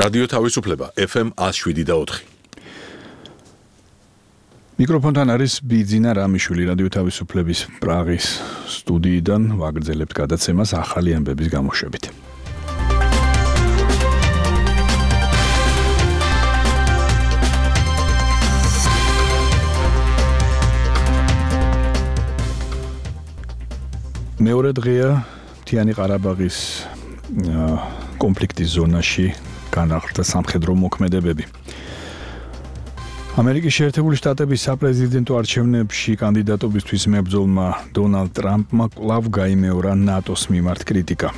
რადიო თავისუფლება FM 107.4. მიკროფონთან არის ბიძინა რამიშვილი რადიო თავისუფლების პრაღის სტუდიიდან ვაგრძელებთ გადაცემას ახალი ამბების გამოშვებით. მეორე დღეა მთიანი ყარაბაღის კონფლიქტის ზონაში განახლდა სამხედრო მოქმედებები. ამერიკის შეერთებული შტატების საპრეზიდენტო არჩევნებში კანდიდატობისთვის მებრძოლმა დონალდ ტრამპმა კვლავ გაიმეორა ნატოს მიმართ კრიტიკა.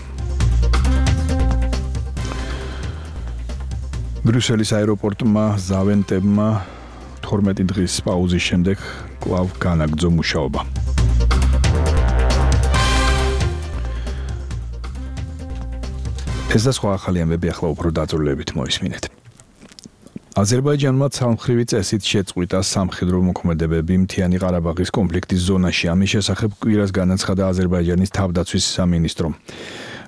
ბრიუსელის აეროპორტმა ზავენტებმა 12 დღის პაუზის შემდეგ კვლავ განაგრძო მუშაობა. ეს და სხვა ახალი ამბები ახლა უფრო დაწვრილებით მოისმინეთ. აზერბაიჯანმა ცალმხრივი წესით შეწყვიტა სამხედრო მოქმედებები მთიანი ყარაბაღის კონფლიქტის ზონაში. ამის შესახებ კვირას განაცხადა აზერბაიჯანის თავდაცვის სამინისტრო.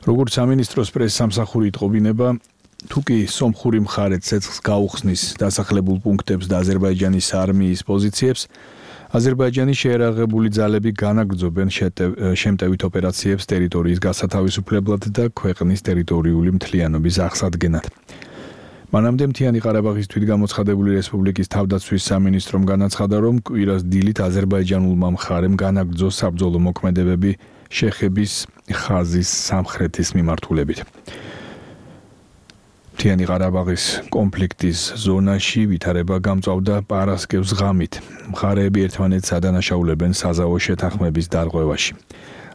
როგორც სამინისტროს პრესსამსახური იტყობინება, თუ კი სომხური მხარე ცეცხლს გაუხსნის დასახლებულ პუნქტებს და აზერბაიჯანის არმიის პოზიციებს, აზერბაიჯანის შეერაღებული ძალები განაგრძობენ შემტევით ოპერაციებს ტერიტორიის გასათავისუფლებლად და ქვეყნის ტერიტორიული მთლიანობის აღსადგენად. მანამდე მთიანი ყარაბაღის თვითგამოცხადებული რესპუბლიკის თავდაცვის სამინისტრომ განაცხადა, რომ კვირას დილით აზერბაიჯანულმა მხარემ განაგრძო საბრძოლო მოქმედებები შეხების ხაზის სამხრეთის მიმართულებით. მთიანი ყარაბაღის კონფლიქტის ზონაში ვითარება გამწვავდა პარასკევს ღამით. მხარეები ერთმანეთს ადანაშაულებენ საზავო შეთანხმების დარღვევაში.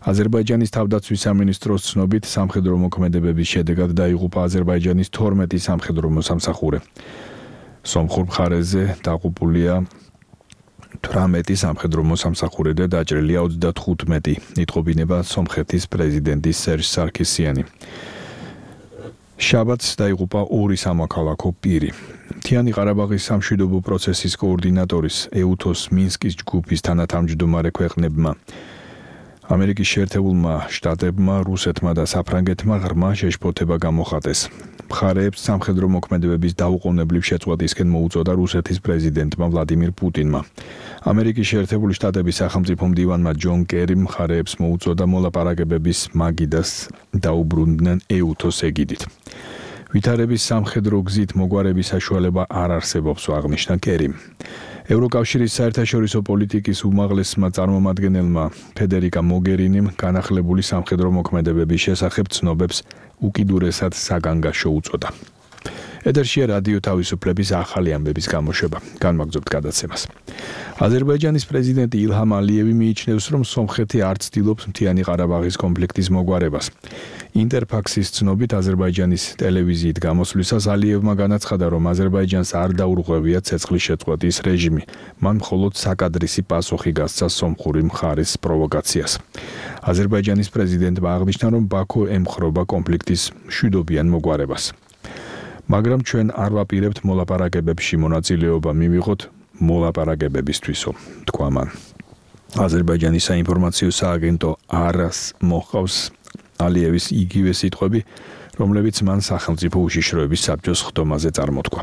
აზერბაიჯანის თავდაცვის სამინისტროს ცნობით, სამხედრო მოქმედებების შედეგად დაიღუპა აზერბაიჯანის 12 სამხედრო მოსამსახურე. სომხურ მხარეზე დაღუპულია 18 სამხედრო მოსამსახურე და დაჭრილია 35, იტყობინება სომხეთის პრეზიდენტის სერჟ სარქისიანი. შაბათს დაიღუპა 2 სამოქალაქო პირი. მთიანი ყარაბაღის სამშვიდობო პროცესის კოორდინატორის ეუთოს მინსკის ჯგუფის თანათავმჯდომარე ქვეყნებმა ამერიკის შეერთებულმა შტატებმა, რუსეთმა და საფრანგეთმა ღრმა შეშფოთება გამოხატეს. მხარეებს სამხედრო მოქმედებების დაუყოვნებლივ შეწყვეტისკენ მოუწოდა რუსეთის პრეზიდენტმა ვლადიმირ პუტინმა. ამერიკის შეერთებული შტატების სახელმწიფო მდივანმა ჯონ კერიმ მხარეებს მოუწოდა მოლაპარაკებების მაგიდას დაუბრუნდნენ ეუთოს ეგიდით. ვითარების სამხედრო გზით მოგვარების საშუალება არ არსებობს, აღნიშნა კერიმ. ევროკავშირის საერთაშორისო პოლიტიკის უმაღლესმა წარმომადგენელმა ფედერიკა მოგერინიმ განახლებული სამხედრო მოქმედებების შესახებ ცნობებს უკიდურესად საგანგაშო უწოდა. ეთერშია რადიო თავისუფლების ახალი ამბების გამოშვება. განვაგრძობთ გადაცემას. აზერბაიჯანის პრეზიდენტი ილჰამ ალიევი მიიჩნევს, რომ სომხეთი არ ცდილობს მთიანი ყარაბაღის კონფლიქტის მოგვარებას. ინტერფაქსის ცნობით აზერბაიჯანის ტელევიზიით გამოსვლისას ალიევმა განაცხადა, რომ აზერბაიჯანს არ დაურღვევია ცეცხლის შეწყვეტის რეჟიმი. მან მხოლოდ საკადრისი პასუხი გასცა სომხური მხარის პროვოკაციას. აზერბაიჯანის პრეზიდენტმა აღნიშნა, რომ ბაქო ემხრობა კონფლიქტის მშვიდობიან მოგვარებას. მაგრამ ჩვენ არ ვაპირებთ მოლაპარაკებებში მონაწილეობა მივიღოთ მოლაპარაკებებისთვისო, თქვა მან. აზერბაიჯანის საინფორმაციო სააგენტო არას მოჰყავს ალიევის იგივე სიტყვები, რომლებიც მან სახელმწიფო უშიშროების საბჭოს ხდომაზე წარმოთქვა.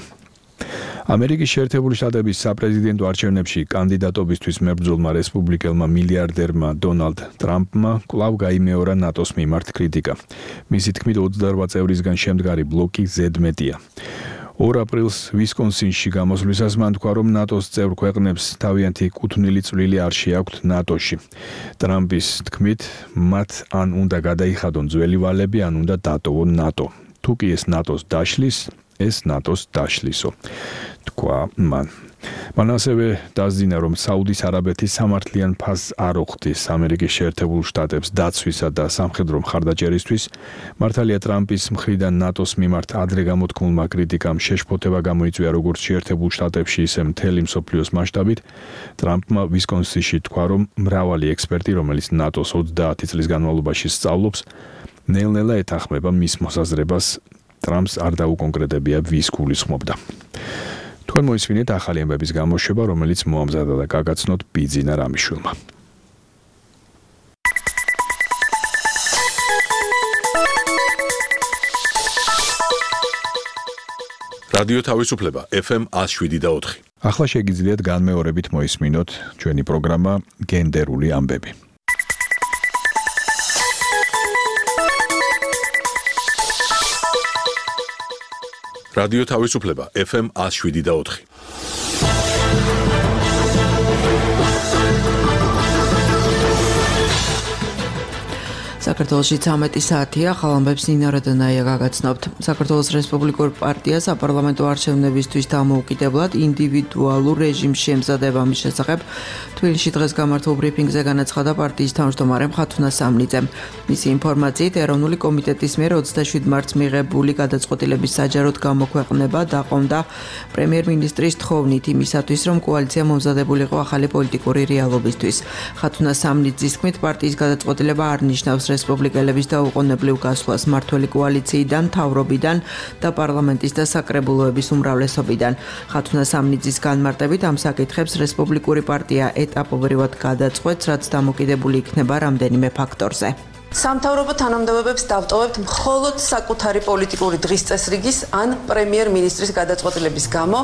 ამერიკის შეერთებული შტატების საპრეზიდენტო არჩევნებში კანდიდატობისთვის მებრძოლმა რესპუბლიკელმა მილიარდერმა დონალდ ტრამპმა კვლავ გაიმეორა ნატოს მიმართ კრიტიკა. მისი თქმით 28 წევრისგან შემდგარი ბლოკი ზედმეტია. 2 აპრილს ვისკონსინში გამოსვლისას მან თქვა, რომ ნატოს წევრ ქვეყნებს თავიანთი კუთვნილი წვლილი არ შეაქვთ ნატოში. ტრამპის თქმით, მათ ან უნდა გადაიხადონ ძველი ვალები, ან უნდა დატოვონ ნატო. თუ კი ეს ნატოს დაშლის, ეს ნატოს დაშლისო, თქვა მან. მან ასევე დასძინა, რომ საუდის არაბეთის სამართლიან ფასს არ უხდის ამერიკის შეერთებულ შტატებს დაცვისა და სამხედრო მხარდაჭერისთვის. მართალია ტრამპის მხრიდან ნატოს მიმართ ადრე გამოთქმულმა კრიტიკამ შეშფოთება გამოიწვია როგორც შეერთებულ შტატებში, ისე მთელი მსოფლიოს მასშტაბით. ტრამპმა ვისკონსინში თქვა, რომ მრავალი ექსპერტი, რომელიც ნატოს 30 წლის განმავლობაში სწავლობს, ნელ-ნელა ეთანხმება მის მოსაზრებას. ტრამპს არ დაუკონკრეტებია, ვის გულისხმობდა. თქვენ მოისმინეთ ახალი ამბების გამოშვება, რომელიც მოამზადა და გაგაცნოთ ბიძინა რამიშვილმა. რადიო თავისუფლება FM 107.4. ახლა შეგიძლიათ განმეორებით მოისმინოთ ჩვენი პროგრამა გენდერული ამბები. რადიო თავისუფლება FM 107.4. საქართველოში 13 საათია, ხალხებს ნინო რადონაია გაგაცნობთ. საქართველოს რესპუბლიკურ პარტია საპარლამენტო არჩევნებისთვის დამოუკიდებლად ინდივიდუალურ რეჟიმში ემზადება მის შესახებ თბილისში დღეს გამართულ ბრიფინგზე განაცხადა პარტიის თავმჯდომარე ხათუნა სამნიძემ. მისი ინფორმაციით, ეროვნული კომიტეტის მიერ 27 მარტს მიღებული გადაწყვეტილების საჯაროდ გამოქვეყნება დაყომდა პრემიერ-მინისტრის თხოვნით იმისათვის, რომ კოალიცია მომზადებულიყო ახალი პოლიტიკური რეალობისთვის. ხათუნა სამნიძის თქმით, პარტიის გადაწყვეტილება არ ნიშნავს რესპუბლიკელების დაუყოვნებლივ გასვლას მმართველი კოალიციიდან, მთავრობიდან და პარლამენტის და საკრებულოების უმრავლესობიდან. ხათუნა სამნიძის განმარტებით ამ საკითხებს რესპუბლიკური პარტია ეტაპობრივად გადაწყვეტს, რაც დამოკიდებული იქნება რამდენიმე ფაქტორზე. სამთავრობო თანამდებობებს დავტოვებთ მხოლოდ საკუთარი პოლიტიკური დღის წესრიგის ან პრემიერ-მინისტრის გადაწყვეტილების გამო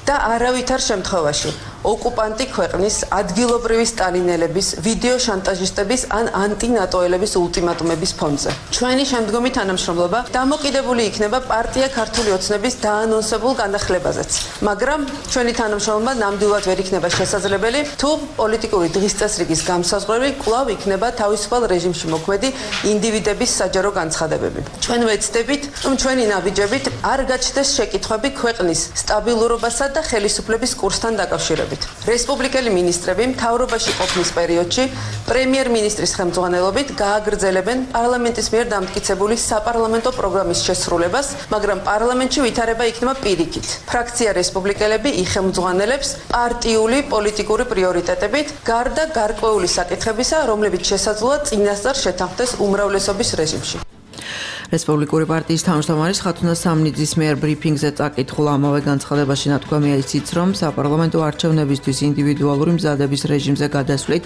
და არავითარ შემთხვევაში ოკუპანტი ქვეყნის ადგილობრივი სტალინელების, ვიდეო შანტაჟისტების ან ანტინატოელების ულტიმატუმების ფონზე. ჩვენი შემდგომი თანამშრომლობა დამოკიდებული იქნება პარტია ქართული ოცნების დაანონსებულ განახლებაზეც. მაგრამ ჩვენი თანამშრომლობა ნამდვილად ვერ იქნება შესაძლებელი, თუ პოლიტიკური დღის წესრიგის გამსაზღვრელი კვლავ იქნება თავისუფალ რეჟიმში მოქმედი ინდივიდების საჯარო განცხადებები. ჩვენ ვეცდებით, რომ ჩვენი ნაბიჯებით არ გაჩნდეს შეკითხვები ქვეყნის სტაბილურობასა და ხელისუფლების კურსთან დაკავშირებით. რესპუბლიკელი მინისტრები მთავრობაში ყოფნის პერიოდში პრემიერ-მინისტრის ხელმძღვანელობით გააგრძელებენ პარლამენტის მიერ დამტკიცებული საპარლამენტო პროგრამის შესრულებას, მაგრამ პარლამენტში ვითარება იქნება პირიქით. ფრაქცია რესპუბლიკელები იხელმძღვანელებს პარტიული პოლიტიკური პრიორიტეტებით, გარდა გარკვეული საკითხებისა, რომლებიც შესაძლოა წინასწარ შეთანხმდეს უმრავლესობის რეჟიმში. რესპუბლიკური პარტიის თავმჯდომარის ხათუნა სამნიძის მიერ ბრიფინგზე წაკითხულ ამავე განცხადებაში ნათქვამია ისიც, რომ საპარლამენტო არჩევნებისთვის ინდივიდუალური მზადების რეჟიმზე გადასვლით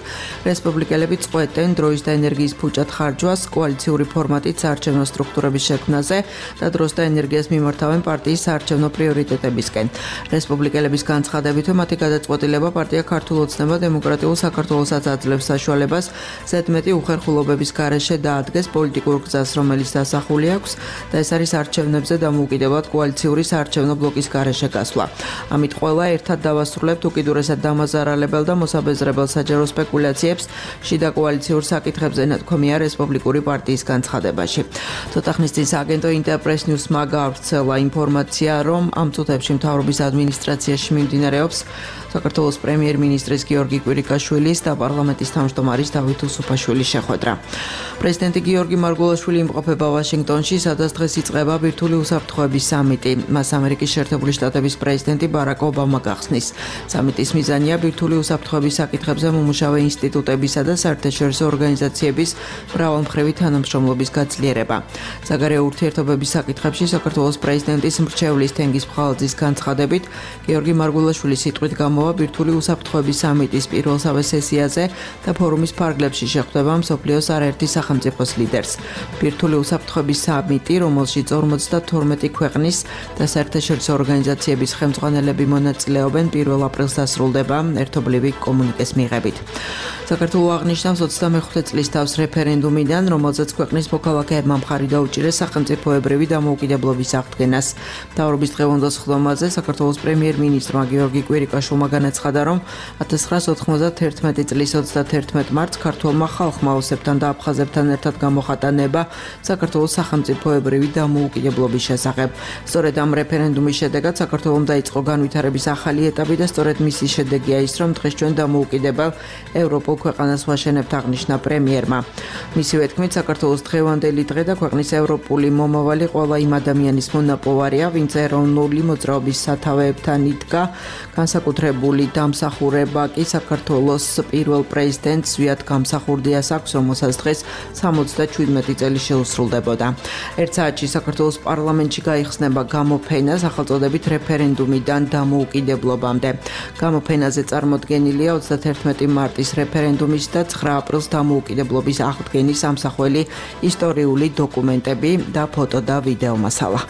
რესპუბლიკელები წყვეტენ დროის და ენერგიის ფუჭად ხარჯვას, კოალიციური ფორმატით საარჩევნო სტრუქტურების შექმნაზე და დროს და ენერგიას მიმართავენ პარტიის საარჩევნო პრიორიტეტებისკენ. რესპუბლიკელების განცხადებით, მათი გადაწყვეტილება პარტია ქართულ ოცნება დემოკრატიულ საქართველოსაც აძლევს საშუალებას ზედმეტი უხერხულობების გარეშე დაადგეს პოლიტიკურ გზას, რომელიც დასახულია აქვს და ეს არის არჩევნებზე დამოუკიდებლად კოალიციური საარჩევნო ბლოკის გარეშე გასვლა. ამით ყველა ერთად დავასრულებთ უკიდურესად დამაზარალებელ და მოსაბეზრებელ საჯარო სპეკულაციებს შიდა კოალიციურ საკითხებზე ნათქვამია რესპუბლიკური პარტიის განცხადებაში. ცოტა ხნის წინ სააგენტო ინტერპრეს ნიუსმა გავრცელა ინფორმაცია, რომ ამ წუთებში მთავრობის ადმინისტრაციაში მიმდინარეობს საქართველოს პრემიერ-მინისტრის გიორგი კვირიკაშვილის და პარლამენტის თავმჯდომარის დავით უსუფაშვილის შეხვედრა. პრეზიდენტი გიორგი მარგულაშვილი იმყოფება ვაშინგტონში, სადაც დღეს იწყება ბირთვული უსაფრთხოების სამიტი. მას ამერიკის შეერთებული შტატების პრეზიდენტი ბარაკ ობამა გახსნის. სამიტის მიზანია ბირთვული უსაფრთხოების საკითხებზე მომუშავე ინსტიტუტებისა და საერთაშორისო ორგანიზაციების მრავალმხრივი თანამშრომლობის გაძლიერება. საგარეო ურთიერთობების საკითხებში საქართველოს პრეზიდენტის მრჩევლის თენგიზ ფხალაძის განცხადებით, გიორგი მარგულაშვილის სიტყვით გამოვა ბირთვული უსაფრთხოების სამიტის პირველსავე სესიაზე და ფორუმის ფარგლებში შეხვდება მსოფლიოს არაერთი სახელმწიფოს ლიდერს. ბირთვული უსაფრთხოების სამიტი, რომელშიც 52 ქვეყნის და საერთაშორისო ორგანიზაციების ხელმძღვანელები მონაწილეობენ, 1 აპრილს დასრულდება ერთობლივი კომუნიკეს მიღებით. საქართველოს აღნიშნავს 25 წლის თავს რეფერენდუმიდან, რომელზეც ქვეყნის მოქალაქეებმა მხარი დაუჭირეს სახელმწიფოებრივი დამოუკიდებლობის აღდგენას. მთავრობის დღევანდელ სხდომაზე საქართველოს პრემიერ-მინისტრმა გიორგი კვირიკაშვილმა განაცხადა, რომ 1991 წლის 31 მარტს ქართველმა ხალხმა ოსებთან და აფხაზებთან ერთად გამოხატა ნება საქართველოს სახელმწიფოებრივი დამოუკიდებლობის შესახებ. სწორედ ამ რეფერენდუმის შედეგად საქართველომ დაიწყო განვითარების ახალი ეტაპი და სწორედ მისი შედეგია ის, რომ დღეს ჩვენ დამოუკიდებელ ევროპულ ქვეყანას ვაშენებთ, აღნიშნა პრემიერმა. მისივე თქმით, საქართველოს დღევანდელი დღე და ქვეყნის ევროპული მომავალი ყველა იმ ადამიანის მონაპოვარია, ვინც ეროვნული მოძრაობის სათავეებთან იდგა. განსაკუთრებული დამსახურება კი საქართველოს პირველ პრეზიდენტს ზვიად გამსახურდიას აქვს, რომელსაც დღეს 77 წელი შეუსრულდებოდა. ერთ საათში საქართველოს პარლამენტში გაიხსნება გამოფენა სახელწოდებით რეფერენდუმიდან დამოუკიდებლობამდე. გამოფენაზე წარმოდგენილია 31 მარტის რეფერენდუმის და 9 აპრილს დამოუკიდებლობის აღდგენის ამსახველი ისტორიული დოკუმენტები და ფოტო და ვიდეო მასალა.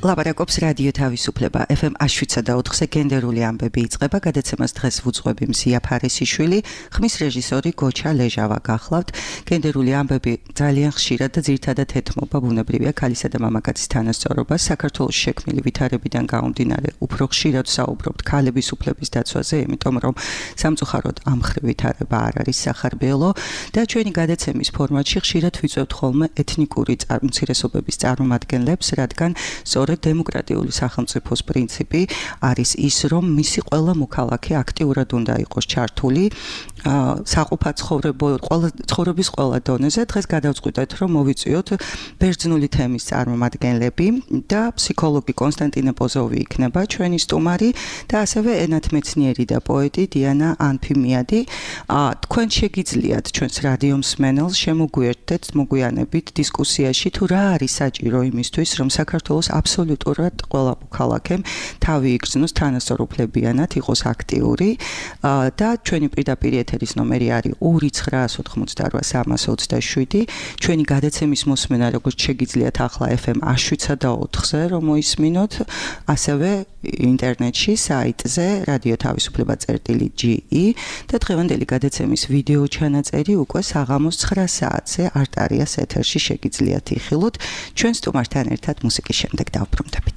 ლაპარაკობს რადიო თავისუფლება FM 107.4-ზე გენდერული ამბები იწყება, გადაცემას დღეს ვუძღვები მზია ფარისიშვილი, ხმის რეჟისორი გოჩა ლეჟავა გახლავთ. გენდერული ამბები ძალიან ხშირად და ძირითადად ეთმობა ბუნებრივია ქალისა და მამაკაცის თანასწორობას. საქართველოს შექმნილი ვითარებიდან გამომდინარე, უფრო ხშირად საუბრობთ ქალების უფლების დაცვაზე, იმიტომ რომ სამწუხაროდ ამ მხრივ ვითარება არ არის სახარბიელო და ჩვენი გადაცემის ფორმატში ხშირად ვიწევთ ხოლმე ეთნიკური უმცირესობების წარმომადგენლებს, რადგან სწორედ დემოკრატიული სახელმწიფოს პრინციპი არის ის, რომ მისი ყველა მოქალაქე აქტიურად უნდა იყოს ჩართული საყოფა ცხოვრების ყველა დონეზე. დღეს გადავწყვიტეთ, რომ მოვიწვიოთ ბერძნული თემის წარმომადგენლები და ფსიქოლოგი კონსტანტინე პოზოვი იქნება ჩვენი სტუმარი და ასევე ენათმეცნიერი და პოეტი დიანა ანფიმიადი. თქვენ შეგიძლიათ ჩვენს რადიო მსმენელს შემოგვიერთდეთ, მოგვიანებით დისკუსიაში თუ რა არის საჭირო იმისთვის, რომ საქართველოს აბსოლუტურად ყველა მოქალაქემ თავი იგრძნოს თანასწორუფლებიანად, იყოს აქტიური და ჩვენი პირდაპირ ეთერის ნომერი არის 2988327. ჩვენი გადაცემის მოსმენა როგორც შეგიძლიათ ახლა FM 107.4-ზე რომ მოისმინოთ, ასევე ინტერნეტში საიტზე radiotavisufleba.ge და დღევანდელი გადაცემის ვიდეო ჩანაწერი უკვე საღამოს 9 საათზე არტარიას ეთერში შეგიძლიათ იხილოთ. ჩვენ სტუმართან ერთად მუსიკის შემდეგ დავბრუნდებით.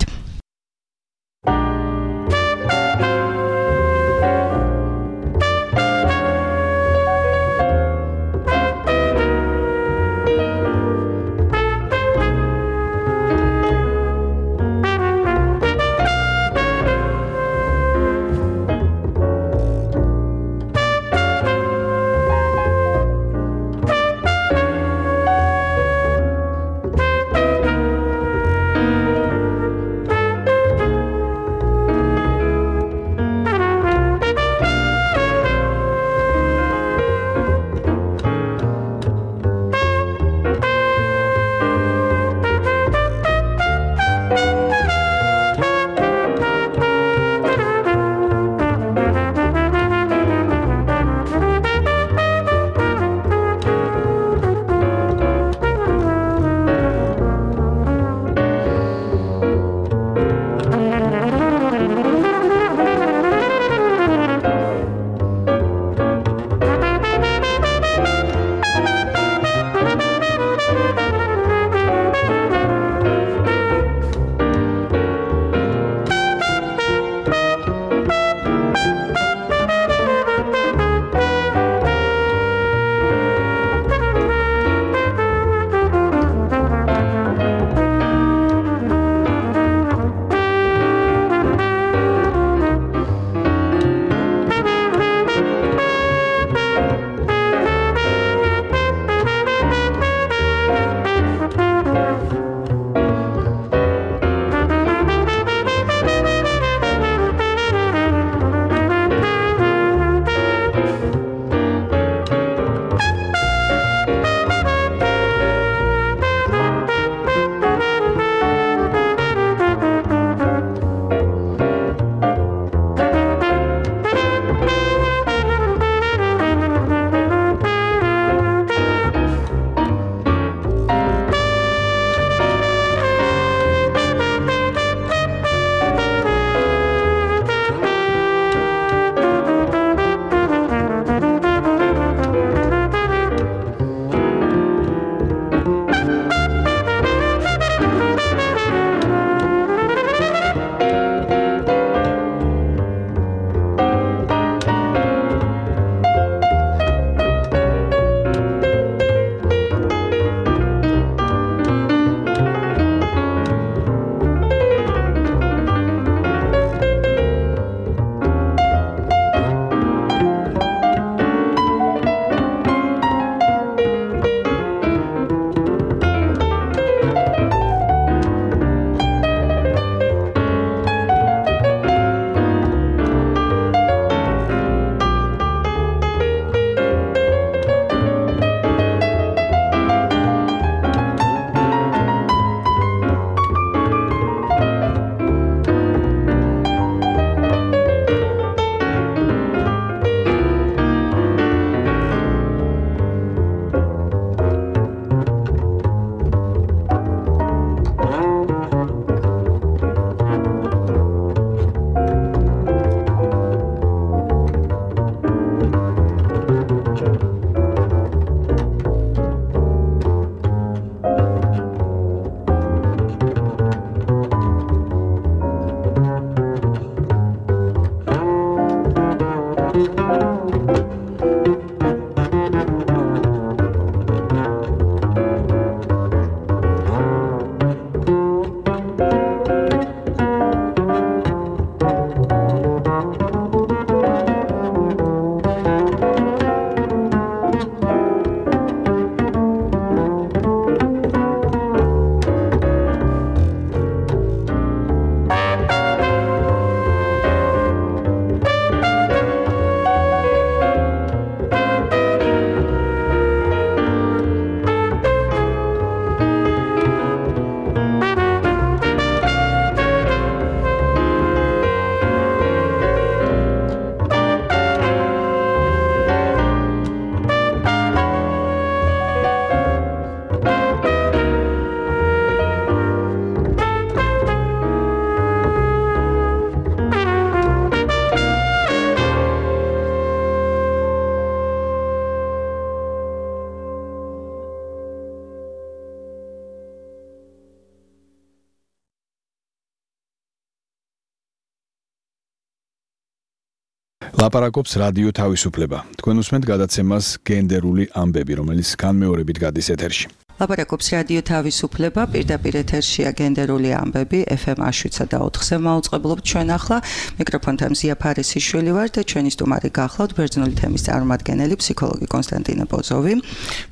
ლაპარაკობს რადიო თავისუფლება. თქვენ უსმენთ გადაცემას გენდერული ამბები, რომელიც განმეორებით გადის ეთერში. ლაპარაკობს რადიო თავისუფლება, პირდაპირ ეთერშია გენდერული ამბები, FM 107.4-ზე მაუწყებლობთ ჩვენ ახლა. მიკროფონთან მზია ფარისიშვილი ვარ და ჩვენი სტუმარი გახლავთ ბერძნული თემის წარმომადგენელი ფსიქოლოგი კონსტანტინე პოზოვი.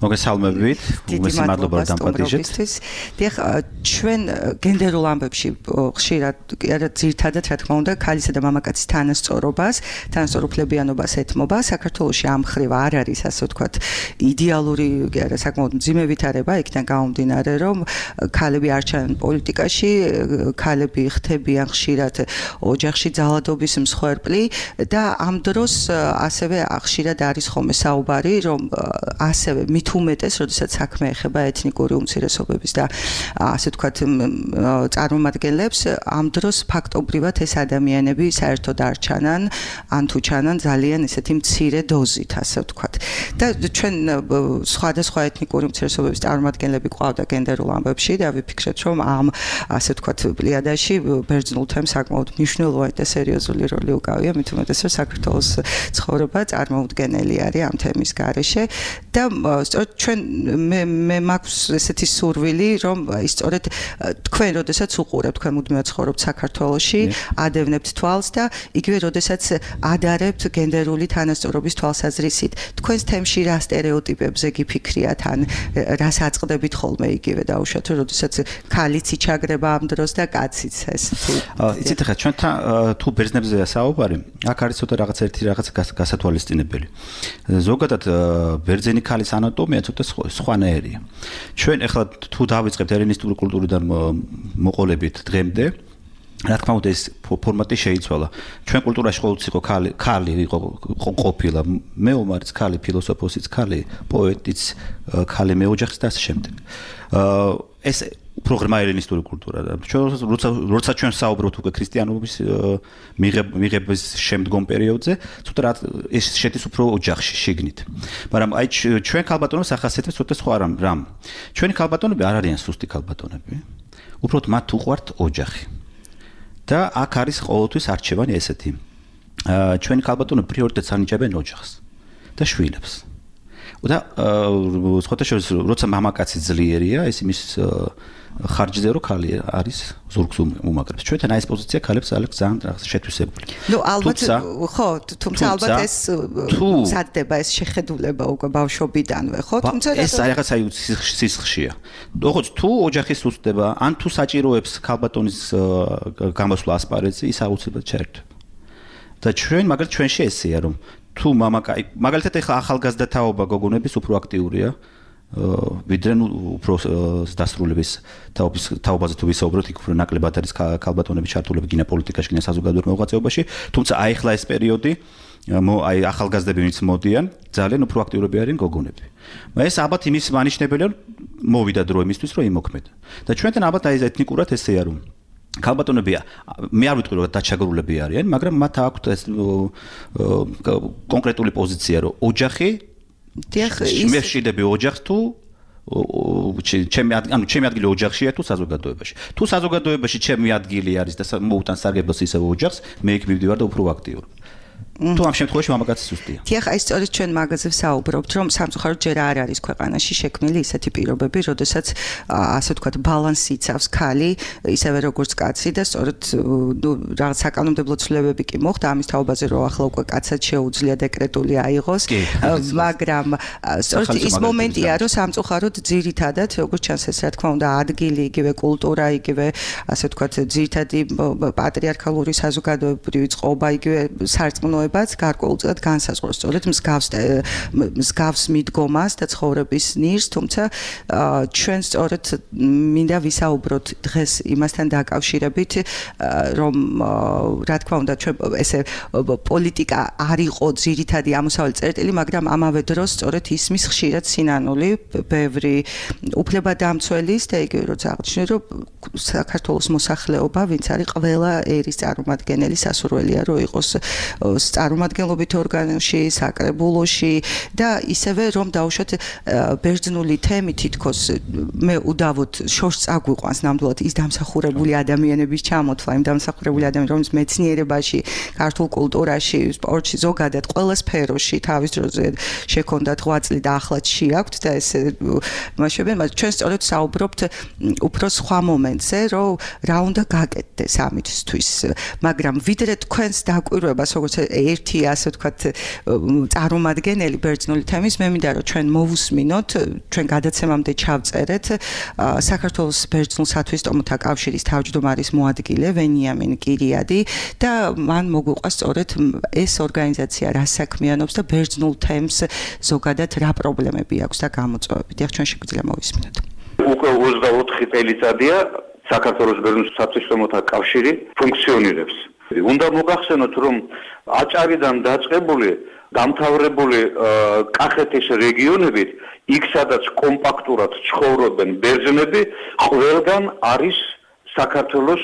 მოგესალმებით, უმეტესი მადლობა რომ დამპატიჟეთ. დიახ, ჩვენ გენდერულ ამბებში ხშირად ძირითადად რა თქმა უნდა ქალისა და მამაკაცის თანასწორუფლებიანობას ეთმობა. საქართველოში ამ მხრივ არ არის ასე ვთქვათ იდეალური საკმაოდ მძიმე ვითარება იქიდან გამომდინარე, რომ ქალები არ ჩანან პოლიტიკაში, ქალები ხდებიან ხშირად ოჯახში ძალადობის მსხვერპლი და ამ დროს ასევე ხშირად არის ხოლმე საუბარი, რომ ასევე მით უმეტეს, როდესაც საქმე ეხება ეთნიკური უმცირესობების და ასე ვთქვათ წარმომადგენლებს, ამ დროს ფაქტობრივად ეს ადამიანები საერთოდ არ ჩანან, ან თუ ჩანან ძალიან ესეთი მცირე დოზით, ასე ვთქვათ. და ჩვენ სხვადასხვა ეთნიკური უმცირესობების წარმომადგენლები ყავდა გენდერულ ამბებში და ვიფიქრეთ, რომ ამ ასე ვთქვათ პლიადაში ბერძნულ თემს საკმაოდ მნიშვნელოვანი და სერიოზული როლი უკავია, მით უმეტეს რომ საქართველოს ცხოვრება წარმოუდგენელი არის ამ თემის გარეშე და სწორედ ჩვენ მე მაქვს ესეთი სურვილი, რომ სწორედ თქვენ როდესაც უყურებთ, თქვენ მუდმივად ცხოვრობთ საქართველოში, ადევნებთ თვალს და იგივე როდესაც ადარებთ გენდერული თანასწორობის თვალსაზრისით, თქვენს თემში რა სტერეოტიპებზე გიფიქრიათ ან რას აწყდებით ხოლმე იგივე დაუშვათ, როდესაც ქალიც იჩაგრება ამ დროს და კაციც ესეთი. იცით ხა ჩვენთან თუ ბერძნებზეა საუბარი, აქ არის ცოტა რაღაც გასათვალისწინებელი. ზოგადად ბერძენი ქალის ანატომია ცოტა სხვანაირია. ჩვენ ახლა თუ დავიწყებთ ელინისტური კულტურიდან მოყოლებით დღემდე, რა თქმა უნდა ეს ფორმატი შეიცვალა. ჩვენ კულტურაში ყოველთვის იყო ქალი იყო ყოფილა, მეომარიც ქალი, ფილოსოფოსიც ქალი, პოეტიც ქალი, მეოჯახიც და ასე შემდეგ. ეს უფრო ღრმა ელინისტური კულტურა. როცა ჩვენ საუბრობთ უკვე ქრისტიანობის მიღების შემდგომ პერიოდზე, ცოტა ეს შედის უფრო ოჯახში შიგნით. მაგრამ აი ჩვენ ქალბატონებს ახასიათებს ცოტა სხვა რამ. ჩვენი ქალბატონები არ არიან სუსტი ქალბატონები. უბრალოდ მათ უყვართ ოჯახი. და აქ არის ყოველთვის არჩევანი ესეთი. ჩვენი ქალბატონები პრიორიტეტს ანიჭებენ ოჯახს და შვილებს. და სხვათა შორის, როცა მამაკაცი ძლიერია, ეს იმის ხარჯზე რომ ქალი არის ზურგს უმაგრებს. ჩვენთან ეს პოზიცია ქალებს ძალიან შეთვისებული. ნუ ალბათ ხო, თუმცა ალბათ ეს მზადდება ეს შეხედულება უკვე ბავშვობიდანვე, ხო? თუმცა ეს რაღაცა სისხლშია. როგორც თუ ოჯახი სუსტდება, ან თუ საჭიროებს ქალბატონის გამოსვლა ასპარეზზე, ის აუცილებლად ჩაერთვება. და მაგალითად ჩვენში ესეა, რომ თუ მაგალითად ახლა ახალგაზრდა თაობა გოგონების უფრო აქტიურია, ვიდრე უფრო დასრულების თაობაზე თუ ვისაუბროთ, იქ უფრო ნაკლებად არის ქალბატონების ჩართულები გინა პოლიტიკაში, გინა საზოგადოებრივ მოღვაწეობაში, თუმცა აი ახლა ეს პერიოდი, აი ახალგაზრდები ვინც მოდიან, ძალიან უფრო აქტიურები არიან გოგონები. ეს ალბათ იმის მანიშნებელია, მოვიდა დრო იმისთვის, რომ იმოქმედა. და ჩვენთან ალბათ აი ეთნიკურად ესეა, რომ ქალბატონები მე არ ვიტყვი რომ დაჩაგრულები არიან, მაგრამ მათ აქვთ ეს კონკრეტული პოზიცია, რომ ოჯახი მე ვშიდები ოჯახს თუ ჩემი ადგილი ოჯახშია თუ საზოგადოებაში. თუ საზოგადოებაში ჩემი ადგილი არის და მოუტან სარგებლოს ისევ ოჯახს, მე იქ მივდივარ და უფრო აქტიურად. თუ ამ შემთხვევაში მამაკაცი სუსტია. დიახ, აი სწორედ ჩვენ მაგაზე ვსაუბრობთ, რომ სამწუხაროდ ჯერ არ არის ქვეყანაში შექმნილი ისეთი პირობები, როდესაც ასე ვთქვათ ბალანსი იცავს ქალი, ისევე როგორც კაცი და სწორედ რაღაც საკანონმდებლო ცვლილებები კი მოხდა ამის თაობაზე, რომ ახლა უკვე კაცად შეუძლია დეკრეტული აიღოს, მაგრამ სწორედ ის მომენტია, რომ სამწუხაროდ ძირითადად, როგორც ჩანს ეს რა თქმა უნდა ადგილი, იგივე კულტურა, იგივე ასე ვთქვათ ძირითადი პატრიარქალური საზოგადოებრივი წყობა, იგივე სარწმუნოება გარკვეულწილად განსაზღვროს სწორედ მსგავს მიდგომას და ცხოვრების ნირს, თუმცა ჩვენ სწორედ მინდა ვისაუბროთ დღეს იმასთან დაკავშირებით, რომ რა თქმა უნდა ჩვენ ესე პოლიტიკა არ იყო ძირითადი ამოსავალი წერტილი, მაგრამ ამავე დროს სწორედ ისმის ხშირად სინანული ბევრი უფლებადამცველის და იგივე როცა აღნიშნე, რომ საქართველოს მოსახლეობა, ვინც არის ყველა ერის წარმომადგენელი, სასურველია, რომ იყოს წარმომადგენლობით ორგანოში, საკრებულოში და ისევე რომ დავუშვათ ბერძნული თემი თითქოს მე უდავოდ შორს წაგვიყვანს ნამდვილად ის დამსახურებული ადამიანების ჩამოთვლა, იმ დამსახურებული ადამიანები, რომლებიც მეცნიერებაში, ქართულ კულტურაში, სპორტში, ზოგადად ყველა სფეროში თავის დროზე შექონდათ 8 წელი და ახლაც შეაქვთ და ეს მაშინ ჩვენ სწორედ საუბრობთ უფრო სხვა მომენტზე, რომ რა უნდა გაკეთდეს ამისთვის, მაგრამ ვიდრე თქვენს დაკვირვებას, როგორც ერთი ასე ვთქვათ წარმომადგენელი ბერძნული თემის, მე მინდა რომ ჩვენ მოვუსმინოთ, ჩვენ გადაცემამდე ჩავწერეთ საქართველოს ბერძნულ სათვისტომოთა კავშირის თავმჯდომარის მოადგილე ვენიამინ კირიადი და მან მოგვიყვას სწორედ ეს ორგანიზაცია რა საქმიანობს და ბერძნულ თემს ზოგადად რა პრობლემები აქვს და გამოწვევები. დიახ, ჩვენ შეგვიძლია მოვისმინოთ. უკვე 24 წელიწადია საქართველოს ბერძნულ სათვისტომოთა კავშირი ფუნქციონირებს. უნდა მოგახსენოთ, რომ აჭარიდან დაწყებული დამთავრებული კახეთის რეგიონებით, იქ სადაც კომპაქტურად ცხოვრობენ ბერძნები, ყველგან არის საქართველოს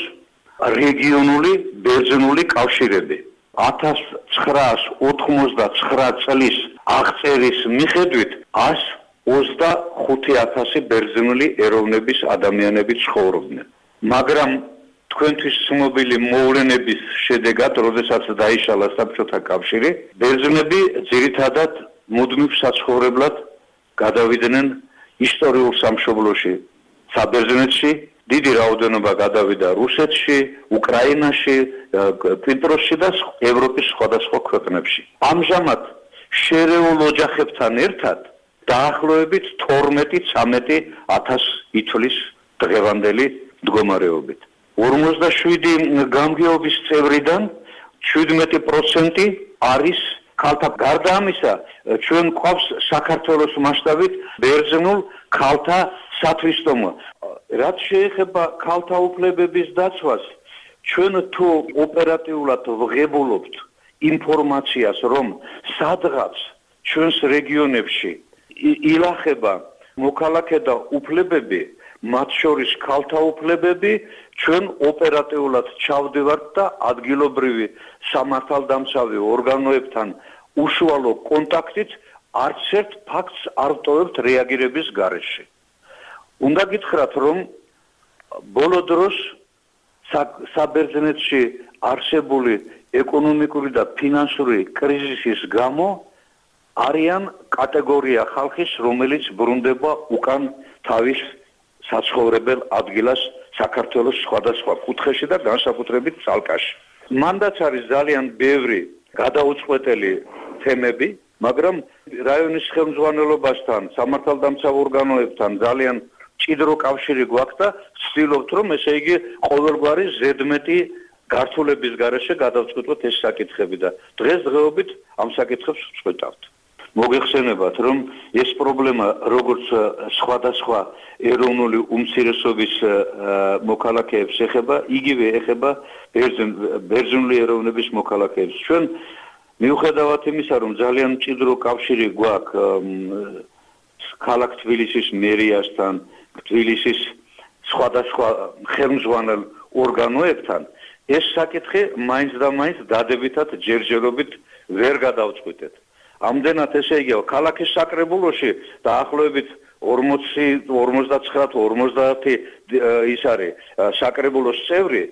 რეგიონული ბერძნული კავშირები. 1989 წლის აღწერის მიხედვით 125,000 ბერძნული ეროვნების ადამიანები ცხოვრობდნენ. მაგრამ თქვენთვის ცნობილი მოვლენების შედეგად, როდესაც დაიშალა საბჭოთა კავშირი, ბერძნები ძირითადად მუდმივ საცხოვრებლად გადავიდნენ ისტორიულ სამშობლოში, საბერძნეთში, დიდი რაოდენობა გადავიდა რუსეთში, უკრაინაში, კვიპროსში და ევროპის სხვადასხვა ქვეყნებში. ამჟამად შერეულ ოჯახებთან ერთად დაახლოებით 12-13,000 ითვლის დღევანდელი მდგომარეობით. 47 გამგეობის წევრიდან 17% არის ქალთა. გარდა ამისა, ჩვენ გვყავს საქართველოს მასშტაბით ბერძნულ ქალთა სათვისტომო. რაც შეეხება ქალთა უფლებების დაცვას, ჩვენ თუ ოპერატიულად ვღებულობთ ინფორმაციას, რომ სადღაც ჩვენს რეგიონებში ილახება მოქალაქე და უფლებები, მათ შორის ქალთა უფლებები, ჩვენ ოპერატიულად ჩავდივართ და ადგილობრივი სამართალდამცავი ორგანოებთან უშუალო კონტაქტით არც ერთ ფაქტს არ ვტოვებთ რეაგირების გარეშე. უნდა გითხრათ, რომ ბოლო დროს საბერძნეთში არსებული ეკონომიკური და ფინანსური კრიზისის გამო არიან კატეგორია ხალხის, რომელიც ბრუნდება უკან თავის საცხოვრებელ ადგილას საქართველოს სხვადასხვა კუთხეში და განსაკუთრებით ცალკაში. მანდაც არის ძალიან ბევრი გადაუწყვეტელი თემები, მაგრამ რაიონის ხელმძღვანელობასთან, სამართალდამცავ ორგანოებთან ძალიან ჭიდრო კავშირი გვაქვს და ვცდილობთ, რომ ესე იგი ყოველგვარი ზედმეტი გართულების გარეშე გადავწყვეტოთ ეს საკითხები და დღესდღეობით ამ საკითხებს ვწყვეტავთ. მოგეხსენებათ, რომ ეს პრობლემა როგორც სხვადასხვა ეროვნული უმცირესობის მოქალაქეებს ეხება, იგივე ეხება ბერძნული ეროვნების მოქალაქეებს. ჩვენ მიუხედავად იმისა, რომ ძალიან მჭიდრო კავშირი გვაქვს ქალაქ თბილისის მერიასთან, თბილისის სხვადასხვა ხელმძღვანელ ორგანოებთან, ეს საკითხი მაინც და მაინც დადებითად ჯერჯერობით ვერ გადავწყვეტეთ. ამდენად ესე იგი ქალაქის საკრებულოში დაახლოებით 49-50 ის არის საკრებულოს წევრი.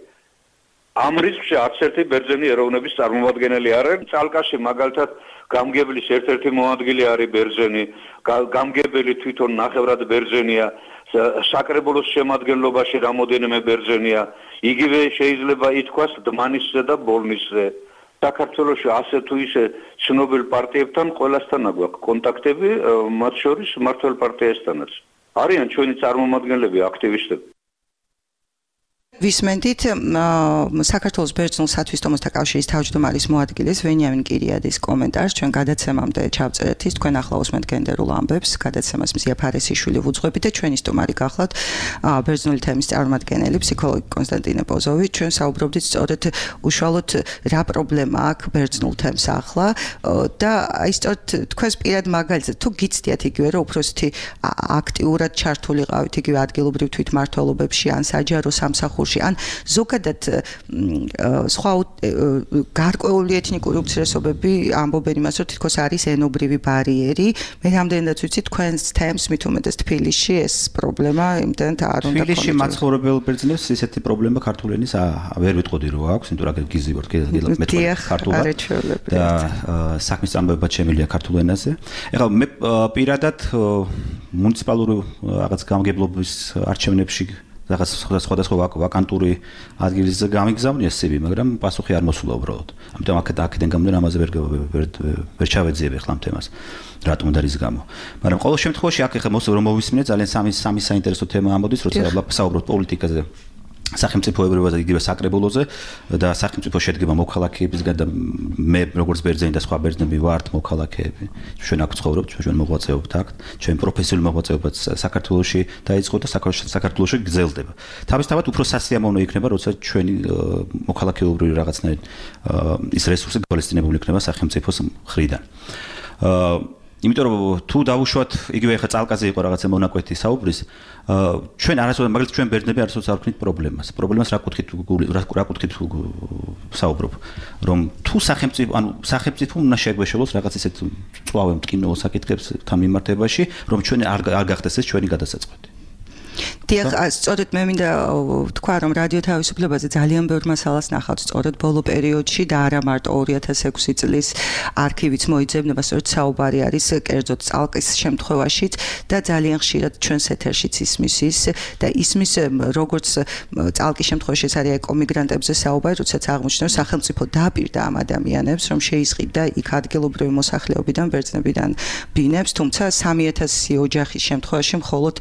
ამ რიცხვში არც ერთი ბერძენი ეროვნების წარმომადგენელი არ არის. წალკაში მაგალითად გამგებლის ერთ-ერთი მოადგილე არის ბერძენი, გამგებელი თვითონ ნახევრად ბერძენია, საკრებულოს შემადგენლობაში რამოდენიმე ბერძენია. იგივე შეიძლება ითქვას დმანისზე და ბოლნისზე. საქართველოში ასე თუ ისე ცნობილ პარტიებთან ყველასთან გვაქვს კონტაქტები, მათ შორის მმართველ პარტიასთანაც. არიან ჩვენი წარმომადგენლები, აქტივისტები. ვისმენდით საქართველოს ბერძნულ სათვისტომოთა კავშირის თავმჯდომარის მოადგილის ვენიამინ კირიადის კომენტარს ჩვენ გადაცემამდე ჩავწერეთ ის თქვენ ახლა უსმენთ გენდერულ ამბებს გადაცემას მზია ფარესიშვილი ვუძღვებით და ჩვენი სტუმარი გახლავთ ბერძნული თემის წარმომადგენელი ფსიქოლოგი კონსტანტინე პოზოვი ჩვენ საუბრობდით სწორედ უშუალოდ რა პრობლემა აქვს ბერძნულ თემს ახლა და აი სწორედ თქვენს პირად მაგალითად თუ გიცდიათ იგივე რომ უბრალოდ აქტიურად ჩართულიყავით იგივე ადგილობრივ თვითმმართველობებში ან საჯარო სამსახურებში სამსახურში. ან ზოგადად სხვა გარკვეული ეთნიკური უმცირესობები ამბობენ იმას, რომ თითქოს არის ენობრივი ბარიერი. მე რამდენადაც ვიცი თქვენს თემს მით უმეტეს თბილისში ეს პრობლემა იმდენად არ უნდა თბილისში მაცხოვრებელ ბერძნებს ესეთი პრობლემა ქართული ენის ვერ ვიტყოდი რომ აქვს, იმიტომ რომ გიზი ვარ მე ქართულად და საქმის წამოება შემილია ქართულ ენაზე. ეხლა მე პირადად მუნიციპალური რაღაც გამგებლობის არჩევნებში რაღაც სხვადასხვა ვაკანტური ადგილის გამიგზავნია CV, მაგრამ პასუხი არ მოსულა უბრალოდ. ამიტომ აქედან გამომდინარე ამაზე ვერ ჩავეძიებ ახლა ამ თემას. რატომ და რის გამო. მაგრამ ყოველ შემთხვევაში აქ ახლა რომ მოვისმინე ძალიან სამი საინტერესო თემა ამოდის, როცა საუბრობთ პოლიტიკაზე. სახელმწიფოებრივაზე იგივე საკრებულოზე და სახელმწიფო შედგება მოქალაქეებისგან და მე როგორც ბერძენი და სხვა ბერძნები ვართ მოქალაქეები. ჩვენ აქ ცხოვრობთ, ჩვენ მოღვაწეობთ აქ, ჩვენ პროფესიული მოღვაწეობაც საქართველოში დაიწყო და საქართველოში გრძელდება. თავისთავად უფრო სასიამოვნო იქნება, როცა ჩვენი მოქალაქეობრივი რაღაცნაირ ის რესურსი გვალისწინებული იქნება სახელმწიფოს მხრიდან. იმიტომ რომ თუ დავუშვათ იგივე ხა წალკაზე იყო რაღაცა მონაკვეთი საუბრის ჩვენ არასოდეს მაგალითად ჩვენ ბერძნები არასოდეს არ ვქნით პრობლემას რა კუთხით საუბრობ რომ თუ სახელმწიფო უნდა შეგვეშალოს რაღაც ისეთ წვავე მტკივნეულ საკითხებს თან მიმართებაში რომ ჩვენ არ გახდეს ეს ჩვენი გადასაწყვეტი. დიახ, სწორედ მე მინდა თქვა, რომ რადიო თავისუფლებაზე ძალიან ბევრ მასალას ნახავთ, სწორედ ბოლო პერიოდში და არა მარტო 2006 წლის არქივიც მოიძებნება, სწორედ საუბარი არის კერძოდ წალკის შემთხვევაშიც და ძალიან ხშირად ჩვენს ეთერშიც ისმის ის და ისმის როგორც წალკის შემთხვევაში ეს არის ეკომიგრანტებზე საუბარი, როდესაც აღმოჩნდა რომ სახელმწიფო დაპირდა ამ ადამიანებს, რომ შეისყიდა იქ ადგილობრივი მოსახლეობიდან, ბერძნებიდან ბინებს, თუმცა 3000 ოჯახის შემთხვევაში მხოლოდ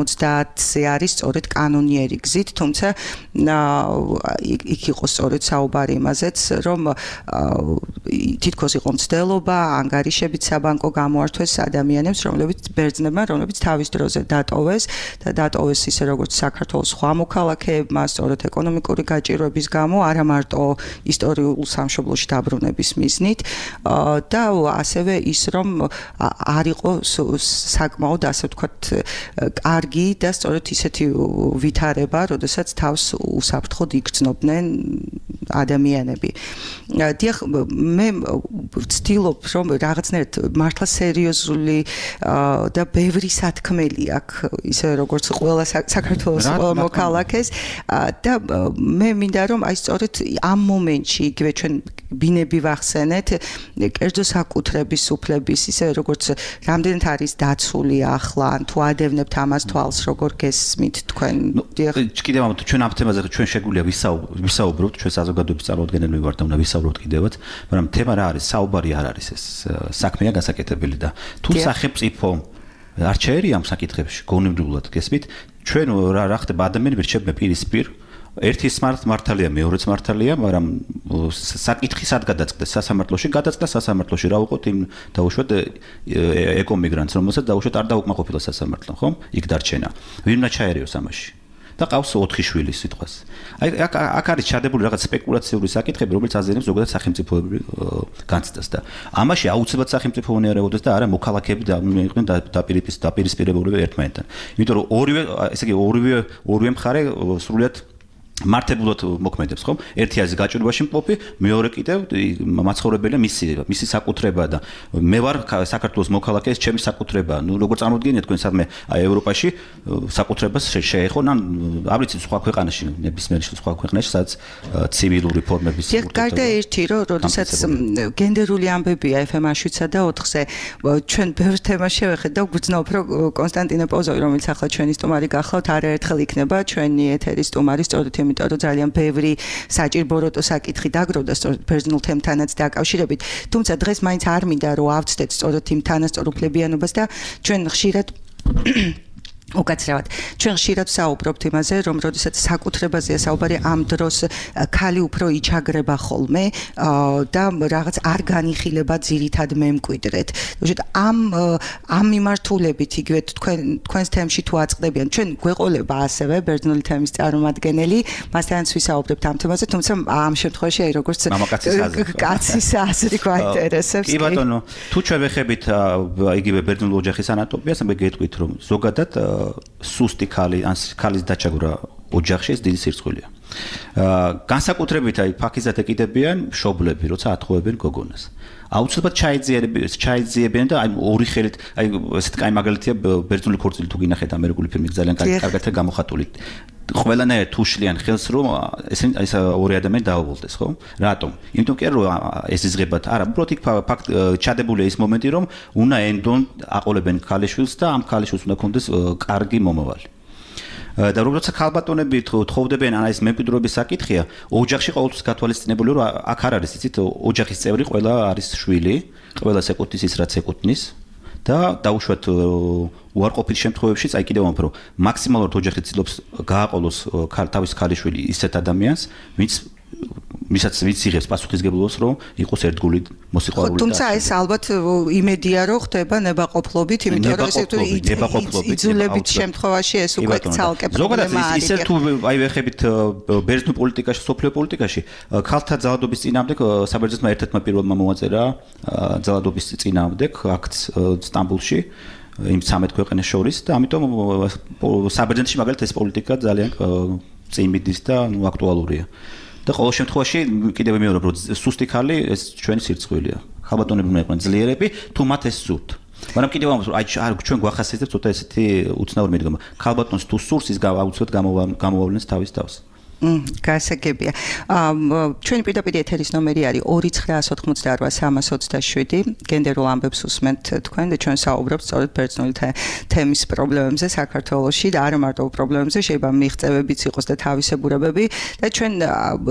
570-ზე არის სწორედ კანონიერი გზით, თუმცა იქ იყო სწორედ საუბარი იმაზეც, რომ თითქოს იყო მცდელობა, ანგარიშებით საბანკო გამოართვეს ადამიანებს, რომლებიც თავის დროზე დატოვეს და დატოვეს ისე როგორც საქართველოს სხვა მოქალაქეებმა, სწორედ ეკონომიკური გაჭირვების გამო, არა მარტო ისტორიულ სამშობლოში დაბრუნების მიზნით და ასევე ის რომ არ იყო საკმაოდ ასე ვთქვათ კარგი და სწორედ ისეთი ვითარება, როდესაც თავს უსაფრთხოდ იგრძნობდნენ ადამიანები. დიახ, მე ვცდილობ, რომ რაღაცნაირად მართლა სერიოზული და ბევრი სათქმელი აქვს, ისე როგორც ყველა საქართველოს მოქალაქეს და მე მინდა რომ აი სწორედ ამ მომენტში იგივე ჩვენ ბინები ვახსენეთ, კერძო საკუთრების უფლების, ისე როგორც რამდენად არის დაცული ახლა, ან თუ ადევნებთ ამას თვალს როგორ გესმით თქვენ? კიდევ ამათ ჩვენ ამ თემაზე ჩვენ შეგვიძლია ვისაუბროთ, ჩვენ საზოგადოების წარმოადგენელი ვართ და უნდა ვისაუბროთ კიდევაც, მაგრამ თემა რა არის? საუბარი არ არის ეს. საქმეა გასაკეთებელი და თუ სახელმწიფო არ შეერია ამ საკითხებში გონებრივად გესმით, ჩვენ რა ხდება ადამიანები რჩებენ პირისპირ ერთი მართალია, მეორეც მართალია, მაგრამ საკითხი სად გადაწყდეს სასამართლოში? გადაწყდა სასამართლოში, რა ვუყოთ იმ დაუშვათ ეკომიგრანტს, რომელსაც დაუშვათ არ დაუკმაყოფილა სასამართლომ, ხო? იქ დარჩენა. ვინ უნდა ჩაერიოს ამაში? და ყავს 4 შვილი სიტყვას. აი აქ არის ჩადებული რაღაც სპეკულაციური საკითხები, რომელიც აზიანებს ზოგადად სახელმწიფოებრივ განცდას და ამაში აუცილებლად სახელმწიფო უნდა ერეოდეს და არა მოქალაქეები იყვნენ დაპირისპირებულები ერთმანეთთან. იმიტომ რომ ორივე მხარე სრულიად მართებულად მოქმედებს, ხო? ერთი არის გაჭირვებაში მყოფი, მეორე კიდევ მაცხოვრებელია მისი საკუთრება და მე ვარ საქართველოს მოქალაქე, ეს ჩემი საკუთრება. ნუ როგორ წარმოდგენიათ თქვენ სადმე ევროპაში საკუთრებას შეეხონ, ან არ ვიცი სხვა ქვეყანაში, ნებისმიერ სხვა ქვეყანაში, სადაც ცივილური ფორმების გარდა ერთი, რომ როდესაც გენდერული ამბებია FM-აშვიცა და 4-ზე ჩვენ ბევრ თემას შევეხეთ და გვგრძნობ, რომ კონსტანტინე პოზოვი, რომელიც ახლა ჩვენი სტუმარი გახლავთ, არაერთხელ იქნება ჩვენი ეთერის სტუმარი, სწორედ იმიტომ რომ ძალიან ბევრი საჭირბოროტო საკითხი დაგროვდა სწორედ ბერძნულ თემთანაც დაკავშირებით. თუმცა დღეს მაინც არ მინდა რომ ავწდეთ სწორედ იმ თანასწორუფლებიანობას და ჩვენ ხშირად უკაცრავად ჩვენ ხშირად საუბრობთ იმაზე, რომ როდესაც საკუთრებაზეა საუბარი, ამ დროს ქალი უფრო იჩაგრება ხოლმე და რაღაც არ განიხილება ძირითად მემკვიდრედ. ამ მიმართულებით იგივე თქვენს თემში თუ აწყდებიან, ჩვენ გვეყოლება ასევე ბერძნული თემის წარმომადგენელი, მასთანაც ვისაუბრებთ ამ თემაზე, თუმცა ამ შემთხვევაში აი როგორც კაცის აზრი გვაინტერესებს. კი ბატონო, თუ ჩვენ ვეხებით იგივე ბერძნულ ოჯახის ანატომიას, მე გეტყვით რომ ზოგადად სუსტი ქალი ან ქალის დაჩაგვრა ოჯახში ეს დიდი სირცხვილია. განსაკუთრებით აი ფაქიზად ეკიდებიან მშობლები, როცა ათხოვებენ გოგონას. აუცილებლად ჩაიძიებიან და აი ორი ხელით აი ესეთ კაი მაგალითია ბერძნული ქორწილი თუ გინახეთ ამერიკული ფილმი ძალიან კარგად გამოხატული. ყველანაირად თუ შლიან ხელს რომ ეს ორი ადამიანი დააუღალდეს, ხო? რატომ? იმიტომ კი რომ ეს იზღებათ, არა, უბრალოდ იქ ფაქტ ჩადებულია ის მომენტი რომ უნდა ენდონ აყოლებენ ქალიშვილს და ამ ქალიშვილს უნდა ქონდეს კარგი მომავალი. და როცა ქალბატონები თხოვდებიან ან ეს მემკვიდრეობის საკითხია, ოჯახში ყოველთვის გათვალისწინებული რომ აქ არ არის, იცით, ოჯახის წევრი ყველა არის შვილი, ყველას ეკუთვნის ის რაც ეკუთვნის და დაუშვათ უარყოფით შემთხვევებშიც აი კიდევ უფრო მაქსიმალურად ოჯახი ცდილობს გააყოლოს თავის ქალიშვილი ისეთ ადამიანს, ვისაც იღებს პასუხისგებლობას რომ იყოს ერთგული მოსიყვარული. თუმცა ეს ალბათ იმედია რომ ხდება ნებაყოფლობით, იმიტომ რომ ეს იძულებით შემთხვევაში ეს უკვე ცალკე პრობლემა არის. ზოგადად ისე თუ აი ვეხებით ბერძნულ პოლიტიკაში, სოფლიო პოლიტიკაში, ქალთა ძალადობის წინააღმდეგ საბერძნეთმა ერთ-ერთმა პირველმა მოაწერა ძალადობის წინააღმდეგ აქტს სტამბოლში იმ 13 ქვეყანას შორის და ამიტომ საბერძნეთში მაგალითად ეს პოლიტიკა ძალიან წინ მიდის და აქტუალურია. და ყოველ შემთხვევაში კიდევ ვიმეორებ რომ სუსტი ქალი ეს ჩვენი სირცხვილია. ქალბატონები უნდა იყვნენ ძლიერები, თუ მათ ეს სურთ. მაგრამ კიდევ აი ჩვენ გვახასიათებს ცოტა ესეთი უცნაური მიდგომა. ქალბატონს თუ სურს ის აუცილებლად გამოვავლენს თავის თავს. გასაგებია. ჩვენი პირდაპირ ეთერის ნომერი არის 2988327 გენდერულ ამბებს უსმენთ თქვენ და ჩვენ საუბრობთ სწორედ ბერძნული თემის პრობლემებზე საქართველოში და არა მარტო პრობლემებზე, შეიძლება მიღწევებიც იყოს და თავისებურებები და ჩვენ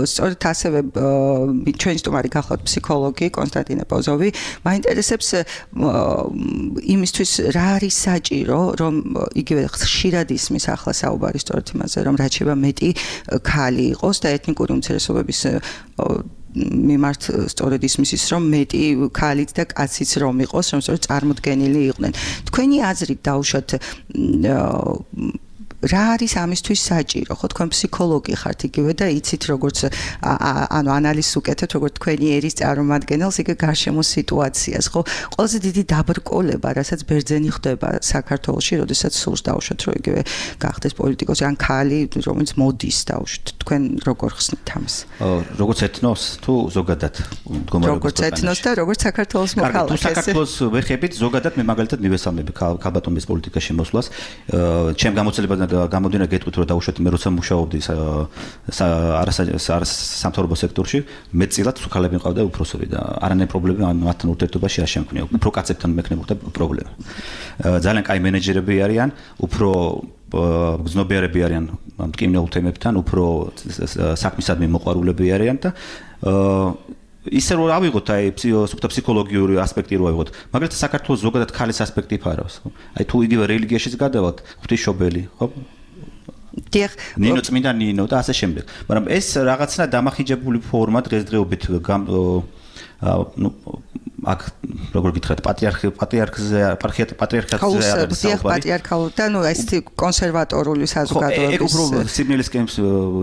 სწორედ ასევე ჩვენი სტუმარი გახლავთ ფსიქოლოგი კონსტანტინე პოზოვი. მაინტერესებს იმისთვის რა არის საჭირო, რომ იგივე ხშირად ისმის ახლა საუბარი სწორედ იმაზე, რომ რაც შეიძლება მეტი ხალი იყოს და ეთნიკური უმცირესობების მიმართ სწორედ ისმის ის რომ მეტი ქალიც და კაციც რომ იყოს, რომ სწორედ წარმოდგენილი იყვნენ. თქვენი აზრით დაუშვათ რა არის ამისთვის საჭირო? ხო, თქვენ ფსიქოლოგი ხართ იგივე და იცით როგორც ანუ ანალიზს უკეთებთ როგორც თქვენი ერის წარმომადგენელს იგივე გარშემო სიტუაციას, ხო? ყველაზე დიდი დაბრკოლება, რასაც ბერძენი ხდება საქართველოში, როდესაც სურს დაუშვათ რომ იგივე გახდეს პოლიტიკოსი ან ქალი, რომელიც მოდის დაუშვათ. თქვენ როგორ ხსნით ამას? როგორც ეთნოს თუ ზოგადად მდგომარეობის როგორც ეთნოს და როგორც საქართველოს მოქალაქეს. თუ საქართველოს ვეხებით, ზოგადად მე მაგალითად მივესალმები ქალბატონების პოლიტიკაში მოსვლას. ჩემ გამოცდილებად გამოდინა გეტყვით რომ დაუშვათ მე როცა მუშაობდი სამთავრობო სექტორში მეტწილად ქალები მყავდა უფროსები და არანაირი პრობლემა მათთან ურთიერთობაში არ შემქნია. უფრო კაცებთან მექნებოდა პრობლემა. ძალიან კაი მენეჯერები არიან, უფრო გზნობიარები არიან მტკივნეულ თემებთან, უფრო საქმისადმი მოყვარულები არიან და ისე რომ ავიღოთ აი ფსიქოლოგიური ასპექტი რო ავიღოთ. მაგალითად საქართველოს ზოგადად ქალის ასპექტი ფარავს. აი თუ იგივე რელიგიაშიც გადავალთ, ღვთისმშობელი, ხო? ნინო წმინდა ნინო და ასე შემდეგ. მაგრამ ეს რაღაცნა დამახინჯებული ფორმა დღესდღეობით აქ როგორ გითხრათ პატრიარქზე პატრიარქალ და ნუ ესეთი კონსერვატორული საზოგადოების ეგ უფრო სიბნელისკენ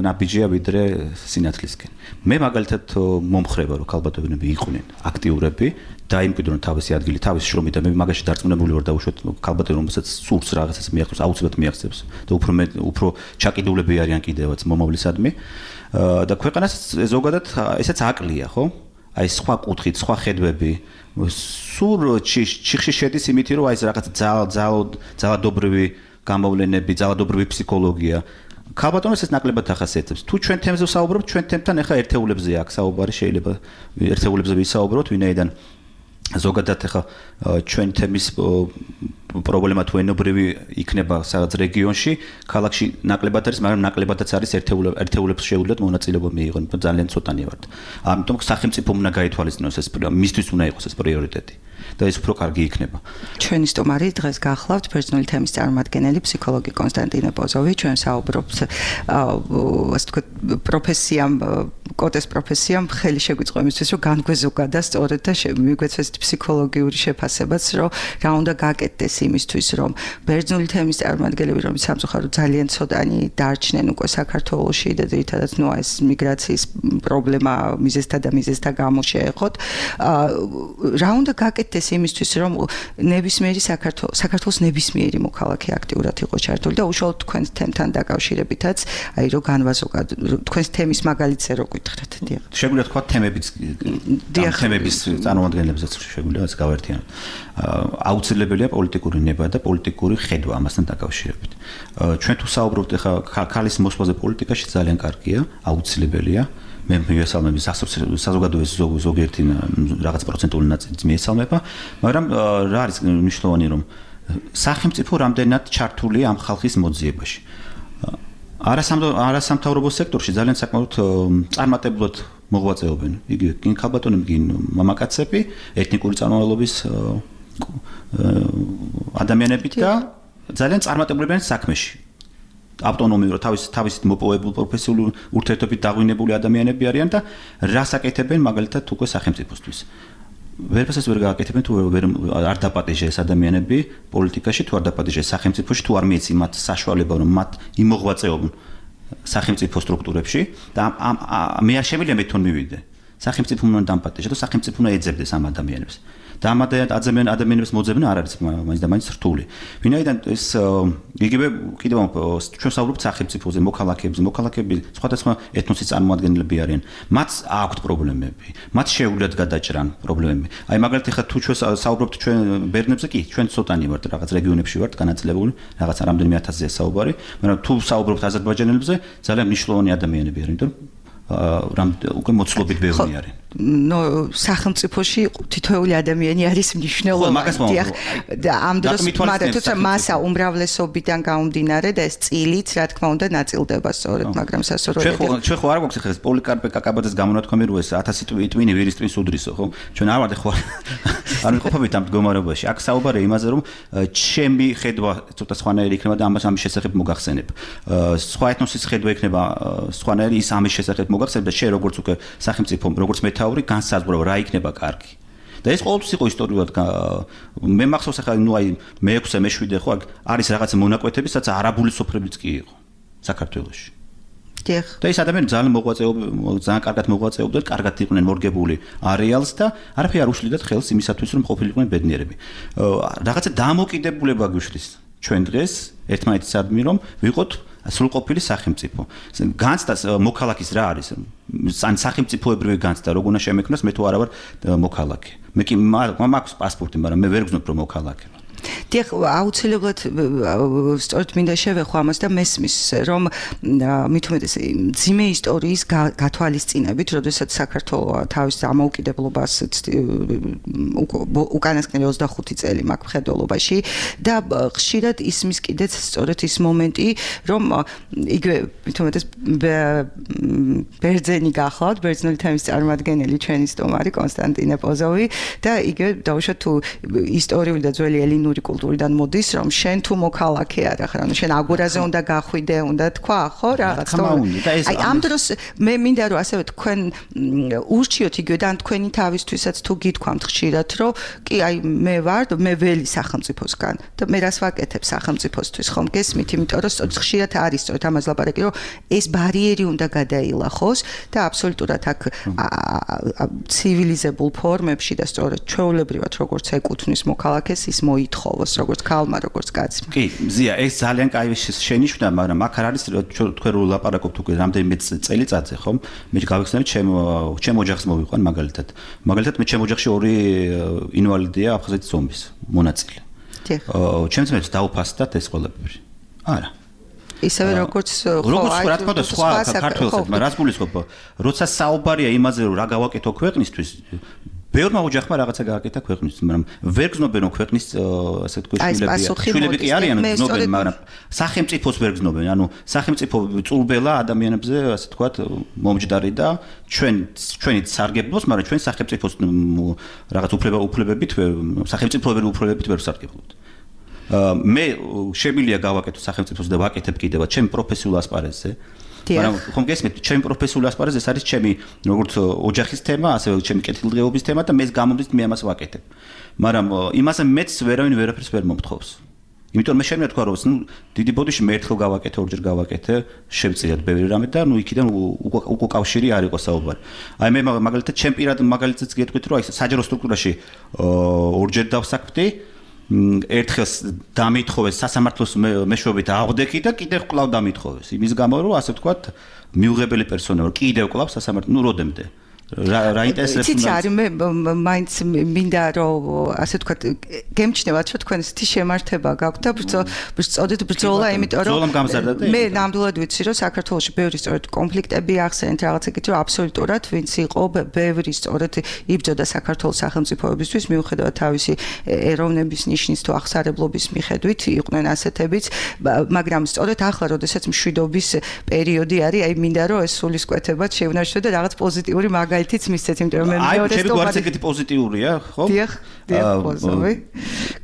ნაბიჯია ვიდრე სინათლისკენ. მე მაგალითად მომხრება რომ ქალბატონები იყვნენ აქტიურები დაიმკვიდრონ თავისი ადგილი, თავისი შრომით და მე მაგაში დარწმუნებული ვარ დაუშვათ ქალბატონი რომელსაც სურს რაღაცას მიაღწევს, აუცილებლად მიაღწევს და უფრო ჩაკიდულები არიან კიდევაც მომავლისადმი და ქვეყანას ზოგადად ესაც აკლია, ხო? აი სხვა კუთხით, სხვა ხედვები სულ ჩიხში შედის იმითი რომ აი ეს რაღაც ძალადობრივი გამოვლენები, ძალადობრივი ფსიქოლოგია ქალბატონებს ეს ნაკლებად ახასიათებს. თუ ჩვენ თემზე ვსაუბრობთ, ჩვენ თემთან ახლა ერთეულებზე აქ საუბარი შეიძლება ერთეულებზე ვისაუბროთ, ვინაიდან ზოგადად ახლა ჩვენ თემის პრობლემა თუ ენობრივი იქნება სადაც რეგიონში, ქალაქში ნაკლებად არის, მაგრამ ნაკლებადაც არის ერთეულებს შეუძლიათ მონაწილეობა მიიღონ, ძალიან ცოტანი ვართ. ამიტომ სახელმწიფო უნდა გაითვალისწინოს ეს მისთვის უნდა იყოს ეს პრიორიტეტი. და ეს უფრო კარგი იქნება. ჩვენი სტუმარი დღეს გახლავთ ბერძნული თემის წარმომადგენელი ფსიქოლოგი კონსტანტინე პოზოვი. ჩვენ საუბრობთ ასე თქვა პროფესიამ, კოტეს პროფესიამ ხელი შეგვიწყო იმისთვის, რომ განგვეზოგადა სწორედ და მიგვეცეს ფსიქოლოგიური შეფასებაც, რომ რა უნდა გაკეთდეს იმისთვის, რომ ბერძნული თემის წარმომადგენლები, რომ სამწუხაროდ ძალიან ცოტანი დარჩნენ უკვე საქართველოში და ძირითადად ნუ ეს მიგრაციის პრობლემა მიზეზთა გამო შეეხოთ. რა უნდა გაკეთდეს გაკეთდეს იმისთვის, რომ ნებისმიერი საქართველოს ნებისმიერი მოქალაქე აქტიურად იყოს ჩართული და უშუალოდ თქვენს თემთან დაკავშირებითაც, აი რომ განვაზოგოთ თქვენს თემის მაგალითზე რო გითხრათ. შეგვიძლია თქვა თემების წარმოადგენლებზეც შეგვიძლია ეს გავერთიანოთ. აუცილებელია პოლიტიკური ნება და პოლიტიკური ხედვა ამასთან დაკავშირებით. ჩვენ თუ საუბრობთ ახლა ქალის მოსვლაზე პოლიტიკაში ძალიან კარგია, აუცილებელია. მე მიესალმები საზოგადოების ზოგიერთი რაღაც პროცენტული ნაწილი მიესალმება, მაგრამ რა არის მნიშვნელოვანი რომ სახელმწიფო რამდენად ჩართულია ამ ხალხის მოძიებაში. არასამთავრობო სექტორში ძალიან საკმაოდ წარმატებულად მოღვაწეობენ. იგივე გინ ქალბატონები, გინ მამაკაცები, ეთნიკური წარმომავლობის ადამიანები და ძალიან წარმატებულებიან საქმეში. ავტონომიურად თავისით მოპოვებული პროფესიული ურთიერთობით დაღვინებული ადამიანები არიან და რას აკეთებენ მაგალითად უკვე სახელმწიფოსთვის. ვერაფერს ვერ გააკეთებენ თუ არ დაპატეჟეს ადამიანები პოლიტიკაში, თუ არ დაპატეჟეს სახელმწიფოში, თუ არ მიეცი მათ საშუალება რომ მათ იმოღვაწეობენ სახელმწიფო სტრუქტურებში და მე არ შემიძლია მეთონ მივიდე. სახელმწიფო უნდა დამპატეჟა და სახელმწიფო უნდა ეძებდეს ამ ადამიანებს. და ამ ადამიანებს მოძებნა არ არის მაინც და მაინც რთული. ვინაიდან ეს იგივე კიდევ ჩვენ საუბრობთ სახელმწიფოზე, მოქალაქეები სხვადასხვა ეთნოსის წარმომადგენლები არიან. მათ აქვთ პრობლემები, მათ შეუძლიათ გადაჭრან პრობლემები. აი მაგალითად ხა თუ ჩვენ საუბრობთ ჩვენ ბერნებზე კი, ჩვენ ცოტანი ვართ, რაღაც რეგიონებში ვართ განაწილებული, რაღაც რამდენიმე ათასზეა საუბარი, მაგრამ თუ საუბრობთ აზერბაიჯანელებზე, ძალიან მნიშვნელოვანი ადამიანები არიან, იმიტომ რომ უკვე მოცულობით ბევრი არის. ნო სახელმწიფოში თითოეული ადამიანი არის მნიშვნელოვანი. და ამ დროს მაგრამ თუმცა მასა უმრავლესობიდან გამომდინარე და ეს წილიც რა თქმა უნდა ნაწილდება სწორედ, მაგრამ სასურველია. ჩვენ ხო არ გვაქვს ხეს პოლიკარპე კაკაბაძეს გამონათქვამი რო ეს 1000 ტვინი ვირის ტვინს უდრისო, ხო? ჩვენ არ ვართ ხო არ ვიყოფებით ამ მდგომარეობაში. აქ საუბარია იმაზე რომ ჩემი ხედვა ცოტა სხვანაირი იქნება და ამის შესახებ მოგახსენებ. სხვა ეთნოსის ხედვა იქნება სხვანაირი ის ამის შესახებ მოგახსენებ და შენ როგორც უკვე სახელმწიფო როგორც მეთაური განსაზღვრავ რა იქნება კარგი. და ეს ყოველთვის იყო ისტორიულად მე მახსოვს ახლა ნუ აი მე-6 მე-7 ხო არის რაღაც მონაკვეთები, სადაც არაბული სოფლებიც კი იყო საქართველოში. და ეს ადამიანები ძალიან ძალიან კარგად მოღვაწეობდნენ, კარგად იყვნენ მორგებული არეალს და არაფერი არ უშლიდათ ხელს იმისათვის რომ ყოფილიყვნენ ბედნიერები. რაღაცა დამოკიდებულება გვიშლის ჩვენ დღეს ერთმანეთისადმი რომ ვიყოთ სრულყოფილი სახელმწიფო. განცდას მოქალაქის რა არის? ან სახელმწიფოებრივი განცდა როგორ უნდა შემექმნას, მე თუ არა ვარ მოქალაქე. მე კი მაქვს პასპორტი, მაგრამ მე ვერ გძნობ რომ მოქალაქე. დიახ, აუცილებლად სწორედ მინდა შევეხო ამას და მესმის რომ მით უმეტეს ძიმე ისტორიის გათვალისწინებით, როდესაც საქართველო თავის დამოუკიდებლობას უკანასკნელი 25 წელი მაქვს მხედველობაში და ხშირად ისმის კიდეც სწორედ ის მომენტი, რომ იგივე მით უმეტეს ბერძენი გახლავთ, ბერძნული თემის წარმომადგენელი ჩვენი სტუმარი კონსტანტინე პოზოვი და იგივე დაუშვათ თუ ისტორიული და ძველი ელინური კულტურიდან მოდის, რომ შენ თუ მოქალაქე არა ხარ, ანუ შენ აგურაზე უნდა გახვიდე, უნდა თქვა, ხო, რაღაც. აი ამ დროს მე მინდა რომ ასევე თქვენ ურჩიოთ იგივე და თქვენი თავისთვისაც თუ გითქვამთ ხშირად, რომ კი აი მე ვარ, მე ველი სახელმწიფოსგან და მე რას ვაკეთებ სახელმწიფოსთვის, ხომ გესმით, იმიტომ რომ სწორედ ხშირად არის სწორედ ამას ლაპარაკი, რომ ეს ბარიერი უნდა გადაილახოს და აბსოლუტურად აქ ცივილიზებულ ფორმებში და სწორედ ჩვეულებრივად როგორც ეკუთვნის მოქალაქეს ის მოითხოვოს როგორც ქალმა, როგორც კაცმა. კი, ზია, ეს ძალიან კაი შენიშვნა, მაგრამ აქ არ არის თქვენ რო ლაპარაკობთ უკვე რამდენიმე წელიწადზე, ხომ? მე გავიხსენებ ჩემ ოჯახს მოვიყვან მაგალითად. მაგალითად მე ჩემ ოჯახში ორი ინვალიდია აფხაზეთის ომის მონაწილე. ჩემს მეც დაუფასდათ ეს ყველაფერი. არა. ისევე როგორც როგორც რა თქმა უნდა სხვა საქართველოსთან, მაგრამ რაც გულისხმობ, როცა საუბარია იმაზე რომ რა გავაკეთო ქვეყნისთვის, ბევრმა ოჯახმა რაღაცა გააკეთა ქვეყნისთვის, მაგრამ ვერ გზნობენ რომ ქვეყნის ასე თქვა შვილები კი არიან გზნობენ, მაგრამ სახელმწიფოს ვერ გზნობენ, ანუ სახელმწიფო წურბელა ადამიანებზე ასე თქვა მომჯდარი და ჩვენი სარგებლობს, მაგრამ ჩვენ სახელმწიფოს რაღაც უფლებებით სახელმწიფოებრივი უფლებებით ვერ ვსარგებლობთ. მე შემიძლია გავაკეთო სახელმწიფოს და ვაკეთებ კიდევაც ჩემი პროფესიულ ასპარეზზე. მაგრამ ხომ გესმით, ჩემი პროფესიული ასპარეზი ეს არის ჩემი როგორც ოჯახის თემა, ასევე ჩემი კეთილდღეობის თემა და მე გამომდის მე ამას ვაკეთებ. მაგრამ იმაზე მეც ვერავინ ვერაფერს ვერ მომთხოვს. იმიტომ მე შემიძლია თქვა რომ დიდი ბოდიში მე ერთხელ გავაკეთე, ორჯერ გავაკეთე, შევწიათ ბევრი რამე და იქიდან უკვე კავშირი არ იყო საუბარი. აი მე მაგალითად ჩემ პირად მაგალითად გეტყვით რომ აი საჯარო სტრუქტურაში ორჯერ დავსაქმდი, ერთხელ დამითხოვეს სასამართლოს მეშვეობით აღვდექი და კიდევ კვლავ დამითხოვეს. იმის გამო რომ ასე ვთქვათ მიუღებელი პერსონა ვარ, კიდევ კვლავ სასამართლო, როდემდე რა ინტერესებს უნდა იცი მე მაინც მინდა რომ ასე ვთქვათ გემჩნევათ რომ თქვენ ისეთი შემართება გაქვთ და ბრძოლით ბრძოლა იმიტომ რომ მე ნამდვილად ვიცი რომ საქართველოში ბევრი სწორედ კონფლიქტები ახსენეთ რაღაცა კიდე რომ აბსოლუტურად ვინც იყო ბევრი სწორედ იბრძოდა საქართველოს სახელმწიფოებისთვის მიუხედავად თავისი ეროვნების ნიშნის თუ აღსარებლობის მიხედვით იყვნენ ასეთებიც მაგრამ სწორედ ახლა როდესაც მშვიდობის პერიოდი არის აი მინდა რომ ეს სულისკვეთებად შევნარჩუნო და რაღაც პოზიტიური მაგალითიც მისცეთ, იმიტომ რომ მე მეორე ჩემი გვარიც ეგეთი პოზიტიურია, ხო? დიახ, პოზიტივი.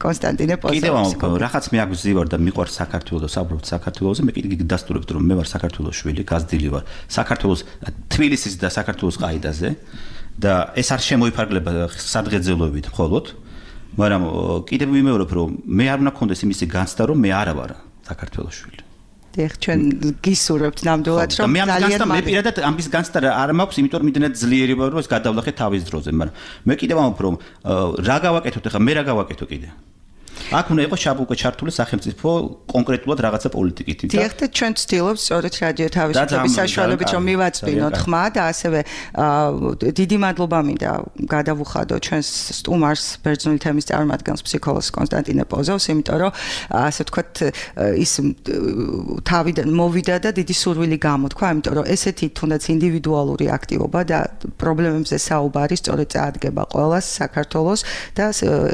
კონსტანტინე პოზიტივი. კიდევ რაღაც მე აგზივარ და მიყვარს საქართველოს, საუბრობთ საქართველოზე, მე კიდე დასტურებთ რომ მე ვარ საქართველოს შვილი, გაზრდილი ვარ. საქართველოს თბილისის და საქართველოს ყაიდაზე და ეს არ შემოიფარგლება სადღეძელოებით მხოლოდ, მაგრამ კიდევ ვიმეორებ რომ მე არ უნდა მქონდეს იმისი განცდა რომ მე არა ვარ საქართველოს შვილი. დიახ, ჩვენ გისურვებთ ნამდვილად რომ ძალიან მე პირადად ამის განცდა არ მაქვს, იმიტომ რომ იმდენად ძლიერი ვარ რომ ეს გადავლახე თავის დროზე, მაგრამ მე კიდევ ამბობ რომ რა გავაკეთოთ ახლა, მე რა გავაკეთო კიდე. აქ უნდა იყოს უკვე ჩართული სახელმწიფო კონკრეტულად რაღაცა პოლიტიკით. დიახ, და ჩვენ ვცდილობთ სწორედ რადიო თავისუფლების საშუალებით რომ მივაწვინოთ ხმა და ასევე დიდი მადლობა მინდა გადავუხადო ჩვენს სტუმარს ბერძნული თემის წარმომადგენელს ფსიქოლოგს კონსტანტინე პოზოვს, იმიტომ რომ ასე ვთქვათ ის თავიდან მოვიდა და დიდი სურვილი გამოთქვა, იმიტომ რომ ესეთი თუნდაც ინდივიდუალური აქტივობა და პრობლემებზე საუბარი სწორედ წაადგება ყველას საქართველოს და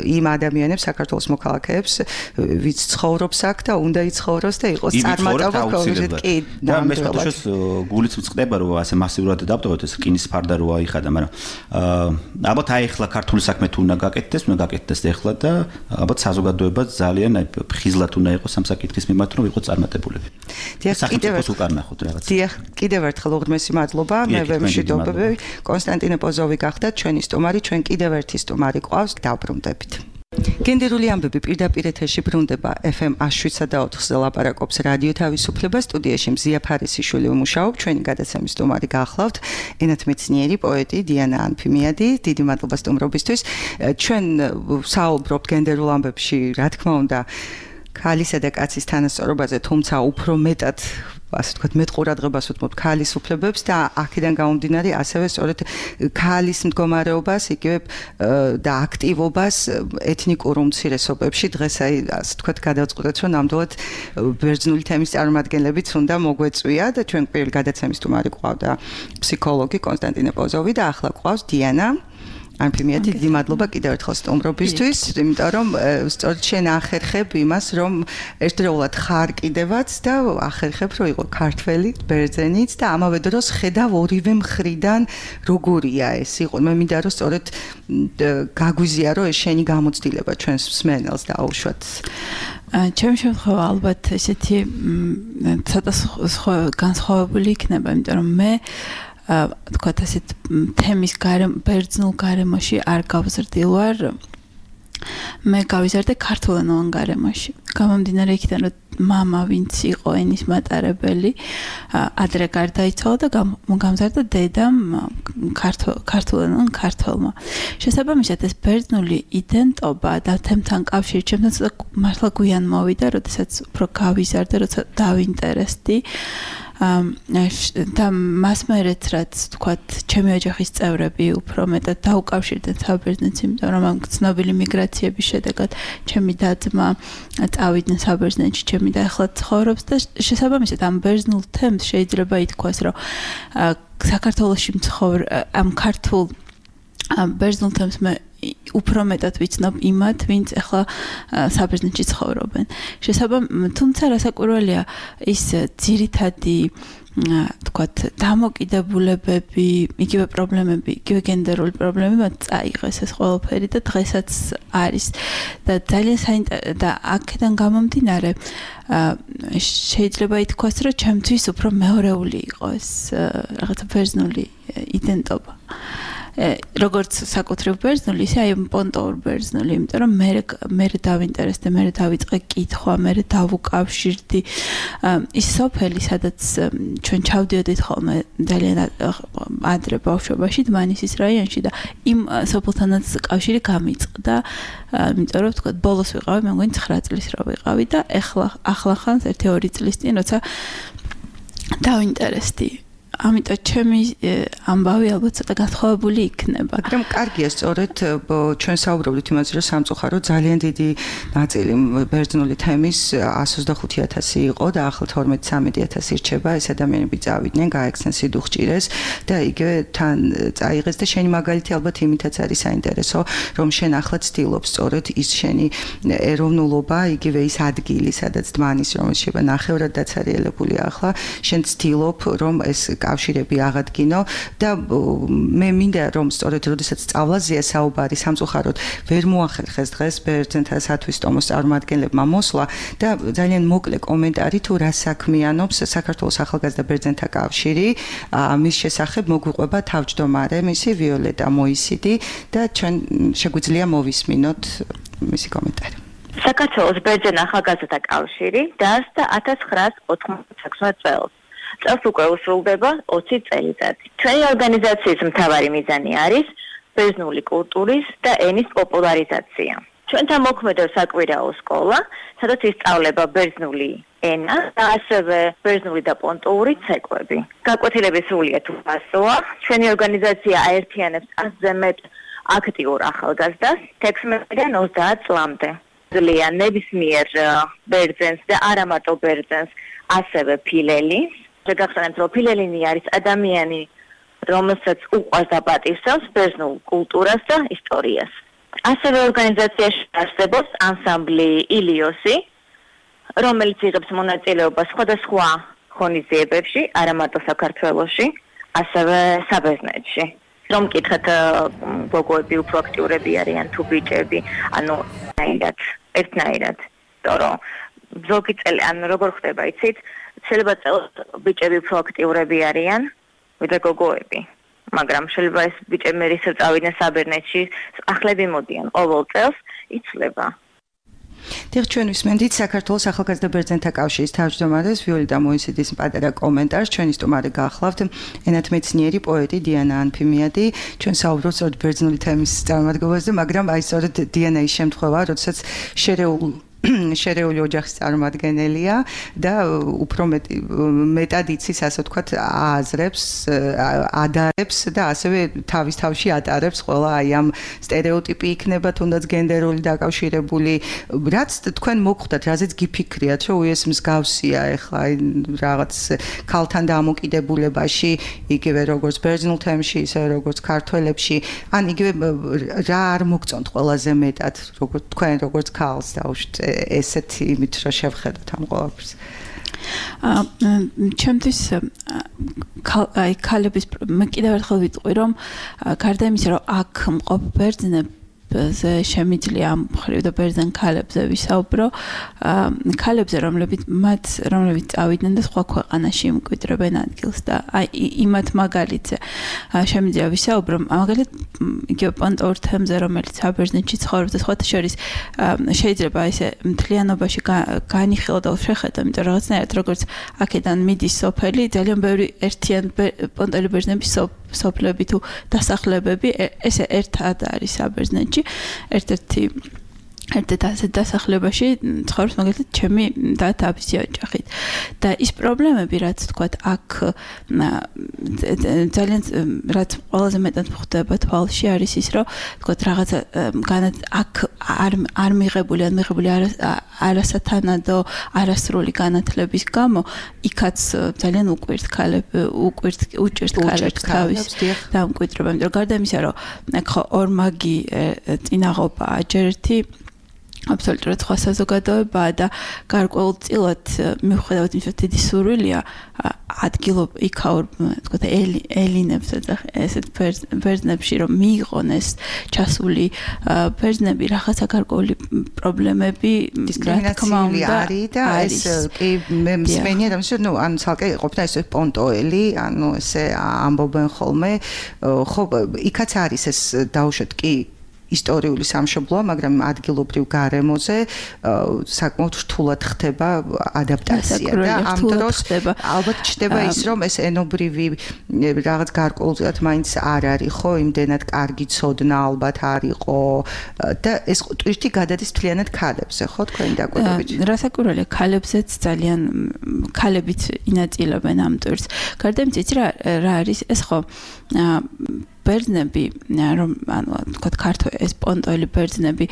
იმ ადამიანებს საქართველოს მოქალაქეებს ვინც ცხოვრობს აქ და უნდა იცხოვროს და იყოს წარმატება კონკრეტულად კი და მე შეთაშოს გულიც მწყდება რომ ასე მასიურად დავტოვოთ ეს რკინის ფარდა რო აიხადა მაგრამ ალბათ აი ახლა ქართული საქმე თუ უნდა გაკეთდეს ახლა და ალბათ საზოგადოება ძალიან აი ხიზლად უნდა იყოს ამ საკითხის მიმართ რომ იყოს წარმატებულები საქართველოს უკან ნახოთ რაღაც დიახ კიდევ ერთხელ უღრმესი მადლობა მე ვემშვიდობები კონსტანტინე პოზოვი გახდათ ჩვენი სტუმარი ჩვენ კიდევ ერთი სტუმარი ყავს დავბრუნდებით გენდერული ამბები პირდაპირ ეთერში ბრუნდება FM 107.4-ზე ლაპარაკობს რადიო თავისუფლება სტუდიაში მზია ფარისიშვილი ვმუშაობ ჩვენი გადაცემის სტუმარი გახლავთ ენათმეცნიერი პოეტი დიანა ანფიმიადი დიდი მადლობა სტუმრობისთვის ჩვენ საუბრობთ გენდერულ ამბებში რა თქმა უნდა ქალისა და კაცის თანასწორობაზე თუმცა უფრო მეტად ასე ვთქვათ მეტყურადღებას ვუთმობთ ქალის უფლებებს და აქედან გამომდინარე ასევე სწორედ ქალის მდგომარეობას იგივე და აქტივობას ეთნიკურ უმცირესობებში დღეს აი ასე ვთქვათ გადავწყვეტეთ რომ ნამდვილად ბერძნული თემის წარმომადგენლებიც უნდა მოგვეწვია და ჩვენ პირველ გადაცემის სტუმარი ყავდა ფსიქოლოგი კონსტანტინე პოზოვი და ახლა ყავს დიანა ანფიმიადი დიდი მადლობა კიდევ ერთხელ სტუმრობისთვის, იმიტომ რომ სწორედ შენ ახერხებ იმას, რომ ერთდროულად ხარ კიდევაც და ახერხებ რომ იყო ქართველი, ბერძენიც და ამავე დროს ხედავ ორივე მხრიდან როგორია ეს იყო. მე მინდა რომ სწორედ გაგვიზია რომ ეს შენი გამოცდილება ჩვენს მსმენელს დაუშვათ. ჩემი შემთხვევა ალბათ ესეთი ცოტა განსხვავებული იქნება, იმიტომ რომ მე თქვათ ასეთ თემის ბერძნულ გარემოში არ გავზრდილ ვარ მე გავიზარდე ქართულენოვან გარემოში გამომდინარე იქიდან რომ მამა ვინც იყო ენის მატარებელი ადრე გარდაიცვალა და გამზარდა დედამ ქართულენოვან ქართველმა შესაბამისად ეს ბერძნული იდენტობა და თემთან კავშირი ჩემთან ცოტა მართლა გვიან მოვიდა როდესაც უფრო გავიზარდე როცა დავინტერესდი და მას მერეც რაც თქვათ ჩემი ოჯახის წევრები უფრო მეტად დაუკავშირდნენ საბერძნეთს იმიტომ რომ ამ ცნობილი მიგრაციების შედეგად ჩემი და-ძმა წავიდნენ საბერძნეთში ჩემი და ახლა ცხოვრობს და შესაბამისად ამ ბერძნულ თემს შეიძლება ითქვას რომ საქართველოში მცხოვრ ამ ქართულ ბერძნულ თემს მე უფრო მეტად ვიცნობ იმათ, ვინც ახლა საბერძნეთში ცხოვრობენ. თუმცა რასაკვირველია ის ძირითადი თქვათ დამოკიდებულებები, იგივე პრობლემები, იგივე გენდერული პრობლემები მათ წაიღეს ეს ყველაფერი და დღესაც არის და ძალიან და აქედან გამომდინარე შეიძლება ითქვას, რომ ჩემთვის უფრო მეორეული იყო ეს რაღაცა ბერძნული იდენტობა. როგორც საკუთრივ ბერძნული, ისე აი პონტოურ ბერძნული, იმიტომ რომ მე დავინტერესდე, მე დავიწყე კითხვა, მე დავუკავშირდი ის სოფელი, სადაც ჩვენ ჩავდიოდით ხოლმე ძალიან ადრე ბავშვობაში, დმანისის რაიონში და იმ სოფელთანაც კავშირი გამიწყდა, იმიტომ რომ თქვა ბოლოს ვიყავი, მე მგონი 9 წლის რო ვიყავი და ახლახანს 1-2 წლის წინ როცა დავინტერესდი. ამიტომ ჩემი ამბავი ალბათ ცოტა გათხოვებული იქნება. მაგრამ კარგია სწორედ ჩვენ საუბრობთ იმაზე, რომ სამწუხაროდ ძალიან დიდი ნაწილი ბერძნული თემის 125,000 იყო და ახლა 12-13,000 ირჩება, ეს ადამიანები წავიდნენ, გაექცნენ სიდუხჭირეს და იგივე თან წაიღეს და შენი მაგალითი ალბათ იმითაც არის საინტერესო, რომ შენ ახლა ცდილობ სწორედ ის შენი ეროვნულობა, იგივე ის ადგილი, სადაც დმანის რომელიც შეება ნახევრად დაცარიელებული ახლა, შენ ცდილობ რომ ეს კავშირები აღადგინო და მე მინდა რომ სწორედ როდესაც სწავლაზეა საუბარი სამწუხაროდ ვერ მოახერხეს დღეს ბერძენთა სათვის ტომოს წარმომადგენლებმა მოსვლა და ძალიან მოკლე კომენტარი თუ რა საქმიანობს საქართველოს ახალგაზრდა ბერძენთა კავშირი მის შესახებ მოგვიყვება თავმჯდომარე მისი ვიოლეტა მოისიდი და ჩვენ შეგვიძლია მოვისმინოთ მისი კომენტარი. საქართველოს ბერძენ ახალგაზრდათა კავშირი დაარსდა 1996 წელს. წელს უკვე უსრულდება 20 წელიწადი. ჩვენი ორგანიზაციის მთავარი მიზანი არის ბერძნული კულტურის და ენის პოპულარიზაცია. ჩვენთან მოქმედებს საკვირაო სკოლა, სადაც ისწავლება ბერძნული ენა და ასევე ბერძნული და პონტოური ცეკვები. გაკვეთილების სრულიად უფასოა. ჩვენი ორგანიზაცია აერთიანებს 100-ზე მეტ აქტიურ ახალგაზრდას 16-დან 30 წლამდე. ძლია ნებისმიერ ბერძენს და არა მარტო ბერძენს, ასევე ფილელის. შეგახსენებთ, რომ ფილელინი არის ადამიანი, რომელსაც უყვარს და პატივსავს ბერძნულ კულტურას და ისტორიას. ასევე ორგანიზაციაში არსებობს ანსამბლი ილიოსი, რომელიც იღებს მონაწილეობას სხვადასხვა ღონისძიებებში, არა მარტო საქართველოში, ასევე საბერძნეთში. რომ მკითხეთ, გოგოები უფრო აქტიურები არიან თუ ბიჭები, ანუ ერთნაირად. თორემ ზოგი წელი, ანუ როგორ ხდება, იცით? შეიძლება წელს ბიჭები უფრო აქტიურები არიან, ვიდრე გოგოები. მაგრამ შეიძლება ეს ბიჭები რისო წავიდნენ საბერძნეთში, ახლები მოდიან ყოველ წელს, იცვლება. დიახ, ჩვენ ვისმენთ საქართველოს ახალგაზრდა ბერძენთა კავშირის თავმჯდომარეს ვიოლეტა მოისიდის პატარა კომენტარს. ჩვენი სტუმარი გახლავთ ენათმეცნიერი პოეტი დიანა ანფიმიადი. ჩვენ საუბრობთ სწორედ ბერძნული თემის წარმომადგენლებზე, მაგრამ აი სწორედ დიანა ის შემთხვევა, როდესაც შერეული ოჯახის წარმომადგენელია და უფრო მეტად იცის, ასე ვთქვათ, ააზრებს, ადარებს და ასევე თავის თავში ატარებს ყველა აი ამ სტერეოტიპი იქნება თუნდაც გენდერული დაკავშირებული, რაც თქვენ მოგხვდათ, რაზეც გიფიქრიათ, რომ ეს მსგავსია ახლა აი რაღაც ქალთან დამოკიდებულებაში, იგივე როგორც ბერძნულ თემში, ისე როგორც ქართველებში, ან იგივე რა არ მოგწონთ ყველაზე მეტად, როგორც თქვენ როგორც ქალს დავუშვით ესეთი იმით რომ შევხედოთ ამ ყველაფერს. ჩემთვის აი ქალების მე კიდევ ერთხელ ვიტყვი რომ გარდა იმისა რომ აქ მყოფ ბერძნებს შემიძლია ამ მხრივ და ბერძენ ქალებზე ვისაუბრო ქალებზე რომლებიც წავიდნენ და სხვა ქვეყანაში იმკვიდრებენ ადგილს და აი იმათ მაგალითზე შემიძლია ვისაუბრო მაგალითად იგივე პონტოურ თემზე რომელიც საბერძნეთში ცხოვრობს და სხვათა შორის შეიძლება ესე მთლიანობაში განიხილო და შეხედო იმიტომ რაღაცნაირად როგორც აქედან მიდის სოფელი ძალიან ბევრი ერთიან პონტოელი ბერძნების სოფლები თუ დასახლებები ესე ერთად არის საბერძნეთში ერთ-ერთი ასე დასახლებაში ცხოვრობს მაგალითად ჩემი და თავისი ოჯახით და ის პრობლემები რაც თქვათ აქ ძალიან რაც ყველაზე მეტად ხდება თვალში არის ის რომ თქვათ რაღაცა აქ არ მიღებული არასათანადო არასრული განათლების გამო იქაც ძალიან უჭირთ ქალებს თავის დამკვიდრება იმიტომ რომ გარდა იმისა რომ ხო ორმაგი წინაღობაა ჯერ ერთი აბსოლუტურად სხვა საზოგადოებაა და გარკვეულწილად მიუხედავად იმისა, დიდი სურვილია ადგილობ იქაურ, თქვათ, ელინებს და ესეთ ბერძნებში რომ მიიღონ ეს ჩასული ბერძნები რაღაცა გარკვეული პრობლემები დისკრიმინაციული არის და ეს კი მე მსმენია და ნუ ან ცალკე ყოფნა ეს პონტოელი, ანუ ესე ამბობენ ხოლმე, ხო, იქაც არის ეს დაუშვათ კი ისტორიული სამშობლოა, მაგრამ ადგილობრივ გარემოზე საკმაოდ რთულად ხდება ადაპტაცია და ამ დროს ალბათ ჩნდება ის, რომ ეს ენობრივი რაღაც გარკვეულწილად მაინც არ არის, ხო, იმდენად კარგი ცოდნა ალბათ არ იყო და ეს ტვირთი გადადის მთლიანად ქალებზე, ხო, თქვენი დაკვირვებით. რასაკვირველია, ქალებზეც ძალიან ქალებიც ინაწილებენ ამ ტვირთს. გარდა იმისა, იცი რა არის ეს, ხო, ბერძნები, რომ ანუ თქვათ ქართველ ეს პონტოელი ბერძნები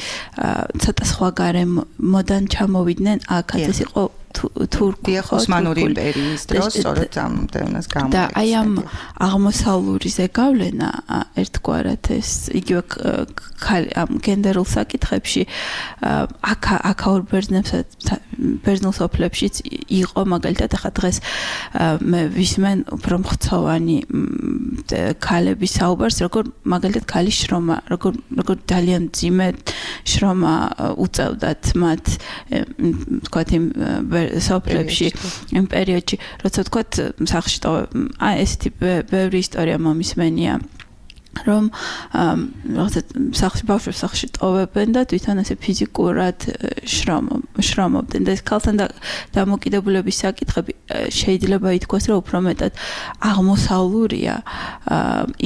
ცოტა სხვა გარემოდან ჩამოვიდნენ, აქაც ეს იყო თურქი ოსმანური იმპერიის დროს, სწორედ ამ დევნას გამო. და აი ამ აღმოსავლური ზეგავლენა ერთგვარად ეს იგივე ამ გენდერულ საკითხებში აქაურ ბერძნულ სოფლებშიც იყო, მაგალითად ახლა დღეს მე ვისმენ უფრო მხცოვანი ქალების საუბარს, როგორ მაგალითად ქალის შრომა, როგორ ძალიან მძიმე შრომა უწევდათ მათ, თქვათ იმ სოფლებში იმ პერიოდში, როცა თქვათ სახლში ესეთი ბევრი ისტორია მომისმენია, რომ რაღაცა ბავშვებს სახლში ტოვებენ და თვითონ ესე ფიზიკურად შრომობდნენ და ეს ქალთან დამოკიდებულების საკითხები შეიძლება ითქვას, რომ უფრო მეტად აღმოსავლურია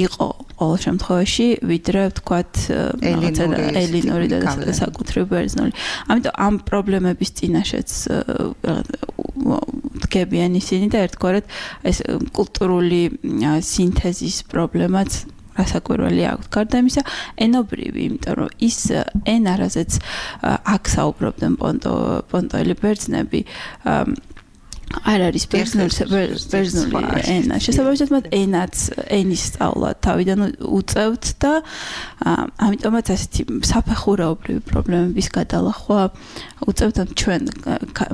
იყო ყოველ შემთხვევაში, ვიდრე ვთქვათ ელინური და საკუთრივ ბერძნული. ამიტომ ამ პრობლემების წინაშეც დგებიან ისინი და ერთგვარად ეს კულტურული სინთეზის პრობლემაც რასაკვირველი აქვს. გარდა იმისა, ენობრივი, იმიტომ რომ ის ენა, რაზეც აქ საუბრობდნენ პონტოელი ბერძნები, არ არის ბერძნული ენა. შესაბამისად, მათ ენის სწავლა თავიდან უწევთ და ამიტომაც ასეთი საფეხურეობრივი პრობლემების გადალახვა უწევთ ჩვენ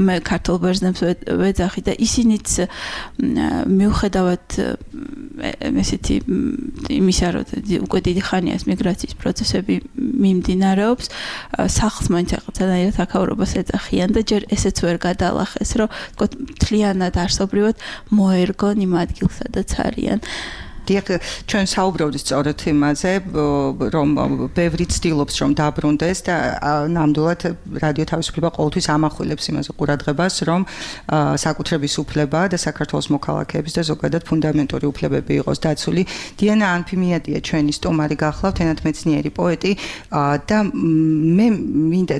მე ქართულ ბერძნებს ვეძახი და ისინიც მიუხედავად ესეთი იმისა, რომ უკვე დიდი ხანია ეს მიგრაციის პროცესები მიმდინარეობს, სახლს მაინც რაღაცნაირად აქაურობას ეძახიან და ჯერ ესეც ვერ გადალახეს, რომ თქო მთლიანად არსობრივად მოერგონ იმ ადგილს, სადაც არიან. დიახ, ჩვენ საუბრობთ სწორედ იმაზე, რომ ბევრი ცდილობს რომ დაბრუნდეს და ნამდვილად რადიო თავისუფლება ყოველთვის ამახვილებს იმაზე ყურადღებას, რომ საკუთრების უფლება და საქართველოს მოქალაქეების და ზოგადად ფუნდამენტური უფლებები იყოს დაცული. დიანა ანფიმიადია ჩვენი სტუმარი გახლავთ, ენათმეცნიერი პოეტი და მე მინდა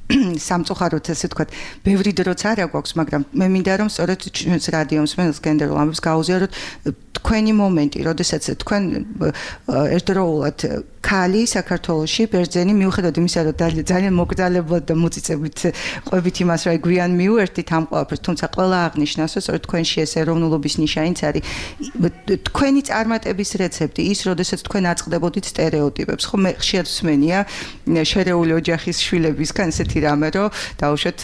სამწუხაროდ ესე ვთქვათ, ბევრი დროც არ აქვს, მაგრამ მე მინდა რომ სწორედ ჩვენს რადიო მსმენელს გენდერულ ამბებს გაუზიაროთ თქვენი მომენტი, როდესაც თქვენ ერთდროულად ქალი საქართველოში ბერძენი მიუხედავად იმისა, რომ ძალიან მოკრძალებლად და მოწიწებით ყვებით იმას, რომ გვიან მიუერთდით ამ ყველაფერს, თუმცა ყველა აღნიშნავს, რომ სწორედ თქვენში ეს ეროვნულობის ნიშანიც არის. თქვენი წარმატების რეცეპტი ის, როდესაც თქვენ აწყდებოდით სტერეოტიპებს, ხო მე ხშირად ვსმენია შერეული ოჯახის შვილებისგან ესეთი რამე, რომ დაუშვათ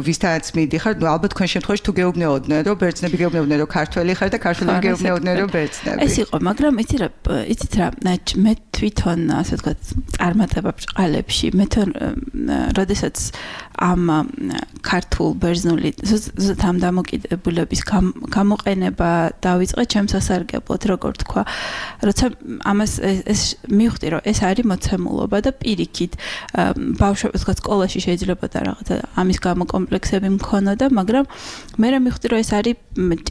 ვისთანაც მიდიხარ, ნუ ალბათ თქვენ შემთხვევაში თუ გეუბნეოდნენ, რომ ბერძნები გეუბნეოდნენ, რომ ქართველი ხარ და ქართველები გეუბნეოდნენ, რომ ბერძნები. ეს იყო, მაგრამ იცით რა, მე თვითონ ასე ვთქვათ, წარმატება ბრწყალებში, მე თვითონ როდესაც ამ ქართულ ბერძნული ამ დამოკიდებულების გამოყენება დავიწყე ჩემს სასარგებლოდ, როგორ თქვა, როცა ამას ეს მივხვდი, რომ ეს არის მოცემულობა და პირიქით ბავშვებს ვთქვათ, სკოლაში შეიძლება და რაღაცა ამის გამო კომპლექსები მქონოდა, მაგრამ მე მივხვდი, რომ ეს არის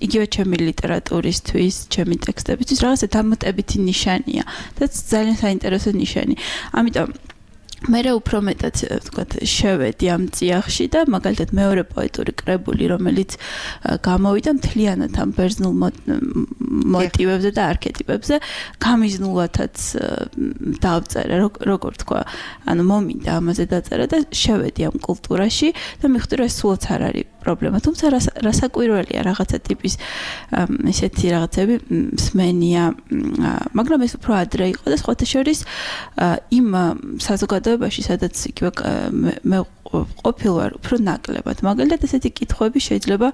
იგივე ჩემი ლიტერატურისთვის, ჩემი ტექსტებისთვის რაღაცა დამატებითი ნიშანია და ძალიან საინტერესო ნიშანი. ამიტომ მე უფრო მეტად ვთქვათ, შევედი ამ წიაღში და მაგალითად მეორე პოეტური კრებული, რომელიც გამოვიდა მთლიანად ამ ბერძნულ მოტივებზე და არქეტიპებზე, გამიზნულათაც დავწერე, როგორ თქვა, ანუ მომინდა ამაზე დაწერა და შევედი ამ კულტურაში და მივხვდი, რომ ეს სულაც არ არის პრობლემა, თუმცა რასაკვირველია რაღაცა ტიპის ესეთი რაღაცები მსმენია, მაგრამ ეს უფრო ადრე იყო და სხვათა შორის იმ საზოგადოებაში საზოგადოებაში, სადაც იგივე მე ყოფილვარ უფრო ნაკლებად. მაგალითად, ესეთი კითხვები შეიძლება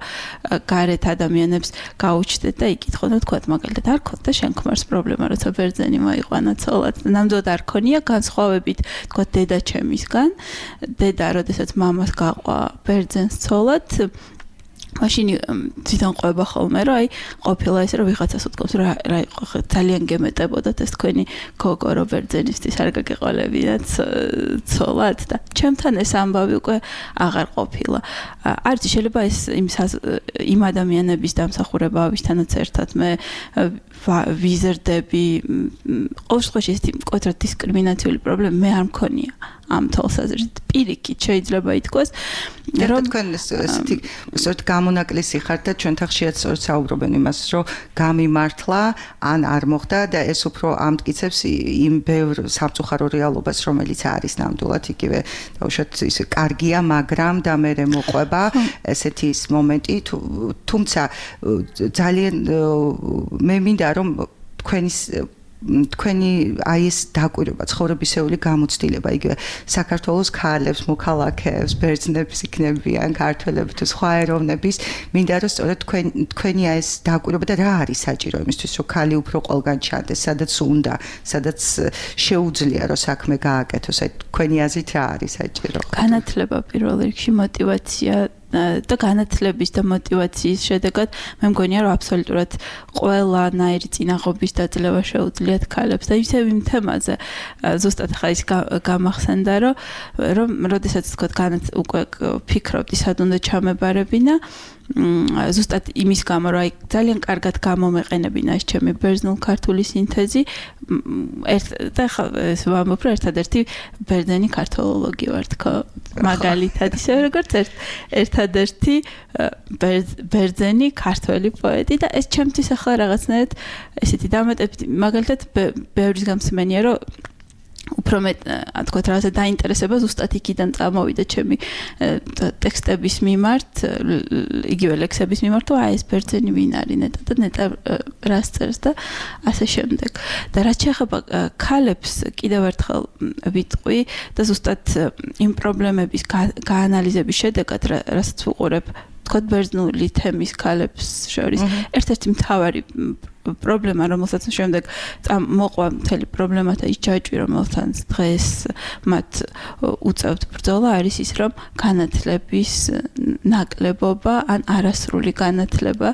გარეთ ადამიანებს გაუჩნდეთ და იკითხონ, თქვათ, მაგალითად, არ ქონდა შენ ქმარს პრობლემა, როცა ბერძენი მოიყვანა ცოლად. ნამდვილად არ ქონია განსხვავებით, თქვათ, დედა ჩემისგან. დედა, როდესაც მამას გაყვა ბერძენს ცოლად, მაშინ თვითონ ყვება ხოლმე, რომ ყოფილა ესე, რომ ვიღაცას უთქვამს, რა იყო, ძალიან გემეტებოდათ ეს თქვენი გოგო, რომ ბერძენისთვის არ გაგეყოლებინათ ცოლად და ჩემთან ეს ამბავი უკვე აღარ ყოფილა. არც შეიძლება ეს იმ ადამიანების დამსახურება, ვისთანაც ერთად მე ვიზრდები, ყოველ შემთხვევაში ეს მკვეთრად დისკრიმინაციული პრობლემა მე არ მქონია. ამ თვალსაზრისით პირიქით შეიძლება ითქვას, რომ თქვენ ესეთი სორტ გამონაკლისი ხართ და ჩვენთან ხშირად სწორედ საუბრობენ იმას, რომ გამიმართლა ან არ მოხდა და ეს უფრო ამტკიცებს იმ ბევრ სამწუხარო რეალობას, რომელიც არის ნამდვილად იგივე დაუშვათ ისე კარგია, მაგრამ და მე მოყვება ესეთი ის მომენტი, თუმცა ძალიან მე მინდა რომ თქვენი აი ეს დაკვირვება ცხოვრებისეული გამოცდილება იგივე საქართველოს ქალებს, მოქალაქეებს, ბერძნებს იქნებიან, ქართველები თუ სხვა ეროვნების მინდა რომ სწორედ თქვენი აი ეს დაკვირვება და რა არის საჭირო იმისთვის რომ ქალი უფრო ყველგან ჩანდეს, სადაც უნდა, სადაც შეუძლია რომ საქმე გააკეთოს, აი თქვენი აზრით რა არის საჭირო? განათლება პირველ რიგში, мотиваცია და განათლების და мотиваციის შედეგად მე მგონია რომ აბსოლუტურად ყველანაირი წინაღობის დაძლევა შეუძლიათ ქალებს და ისევ იმ თემაზე ზუსტად ხა ის გამახსენდა რომ როდესაც თქვა უკვე ფიქრობდი სად უნდა ჩამებარებინა ზუსტად იმის გამო რომ აი ძალიან კარგად გამომეყენებინა ეს ჩემი ბერძნულ-ქართული სინთეზი და ეს ვამბობ რომ ერთადერთი ბერძენი ქართოლოლოგი ვარ თქო მაგალითად ისე როგორც ერთადერთი ბერძენი ქართველი პოეტი და ეს ჩემთვის ახლა რაღაცნაირად ესეთი დამატებითი მაგალითად ბევრის გამსმენია რომ უფრო მეტ თქვა რაღაცა დაინტერესება ზუსტად იქიდან წამოვიდა ჩემი ტექსტების მიმართ, იგივე ლექსების მიმართ, თუ აი ეს ბერძენი ვინ არის ნეტა და ნეტა რას წერს და ასე შემდეგ. და რაც შეეხება ქალებს კიდევ ერთხელ ვიტყვი და ზუსტად იმ პრობლემების გაანალიზების შედეგად, რასაც ვუყურებ თქვა ბერძნული თემის ქალებს შორის ერთ-ერთი მთავარი პრობლემა, რომელსაც შემდეგ მოყვა მთელი პრობლემა და ის ჯაჭვი, რომელთანაც დღეს მათ უწევთ ბრძოლა, არის ის, რომ განათლების ნაკლებობა ან არასრული განათლება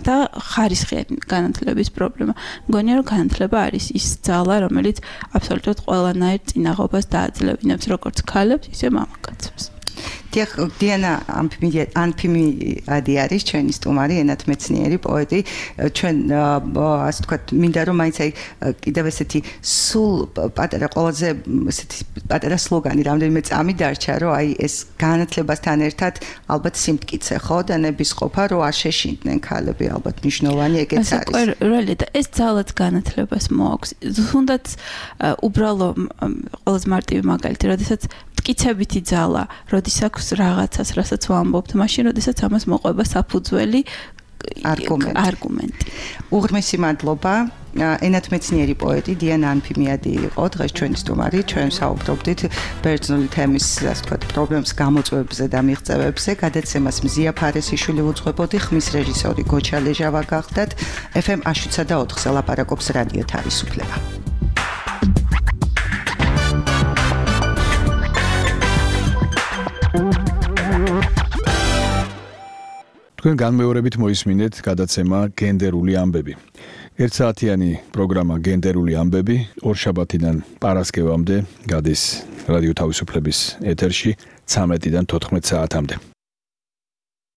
და ხარისხიანი განათლების პრობლემა. მგონია, რომ განათლება არის ის ძალა, რომელიც აბსოლუტურად ყველანაირ წინაღობას დააძლევინებს, როგორც ქალებს, ისე მამაკაცებს. დიანა ანფიმიადი არის ჩვენი სტუმარი, ენათმეცნიერი პოეტი. ჩვენ ასე ვთქვათ, მინდა რომ მაინც აი კიდევ ესეთი სულ პატარა ყველაზე ესეთი პატარა სლოგანი რამდენიმე წამი დარჩა, რომ აი ეს განათლებასთან ერთად ალბათ სიმტკიცე ხო და ნებისყოფა, რომ არ შეშინდნენ ქალები, ალბათ მნიშვნელოვანი ეგეც არის. ყველა და ეს ძალაც განათლებას მოაქვს. თუნდაც უბრალო ყველაზე მარტივი მაგალითი, როდესაც მტკიცებითი ძალა, როდის აქვს რაღაცას, რასაც ვამბობთ, მაშინ როდესაც ამას მოყვება საფუძველი არგუმენტი. უღრმესი მადლობა. ენათმეცნიერი პოეტი დიანა ანფიმიადი იყო დღეს ჩვენი სტუმარი. ჩვენ საუბრობდით ბერძნული თემის, ასე ვთქვათ, პრობლემის გამოწვევებზე და მიღწევებზე. გადაცემას მზია ფარესიშვილი უძღვებოდი, ხმის რეჟისორი გოჩა ლეჟავა გახდათ. FM 107.4-ზე ლაპარაკობს რადიო თავისუფლება. თქვენ განმეორებით მოისმინეთ გადაცემა გენდერული ამბები. ერთსაათიანი პროგრამა გენდერული ამბები ორშაბათიდან პარასკევამდე გადის რადიო თავისუფლების ეთერში 13-დან 14 საათამდე.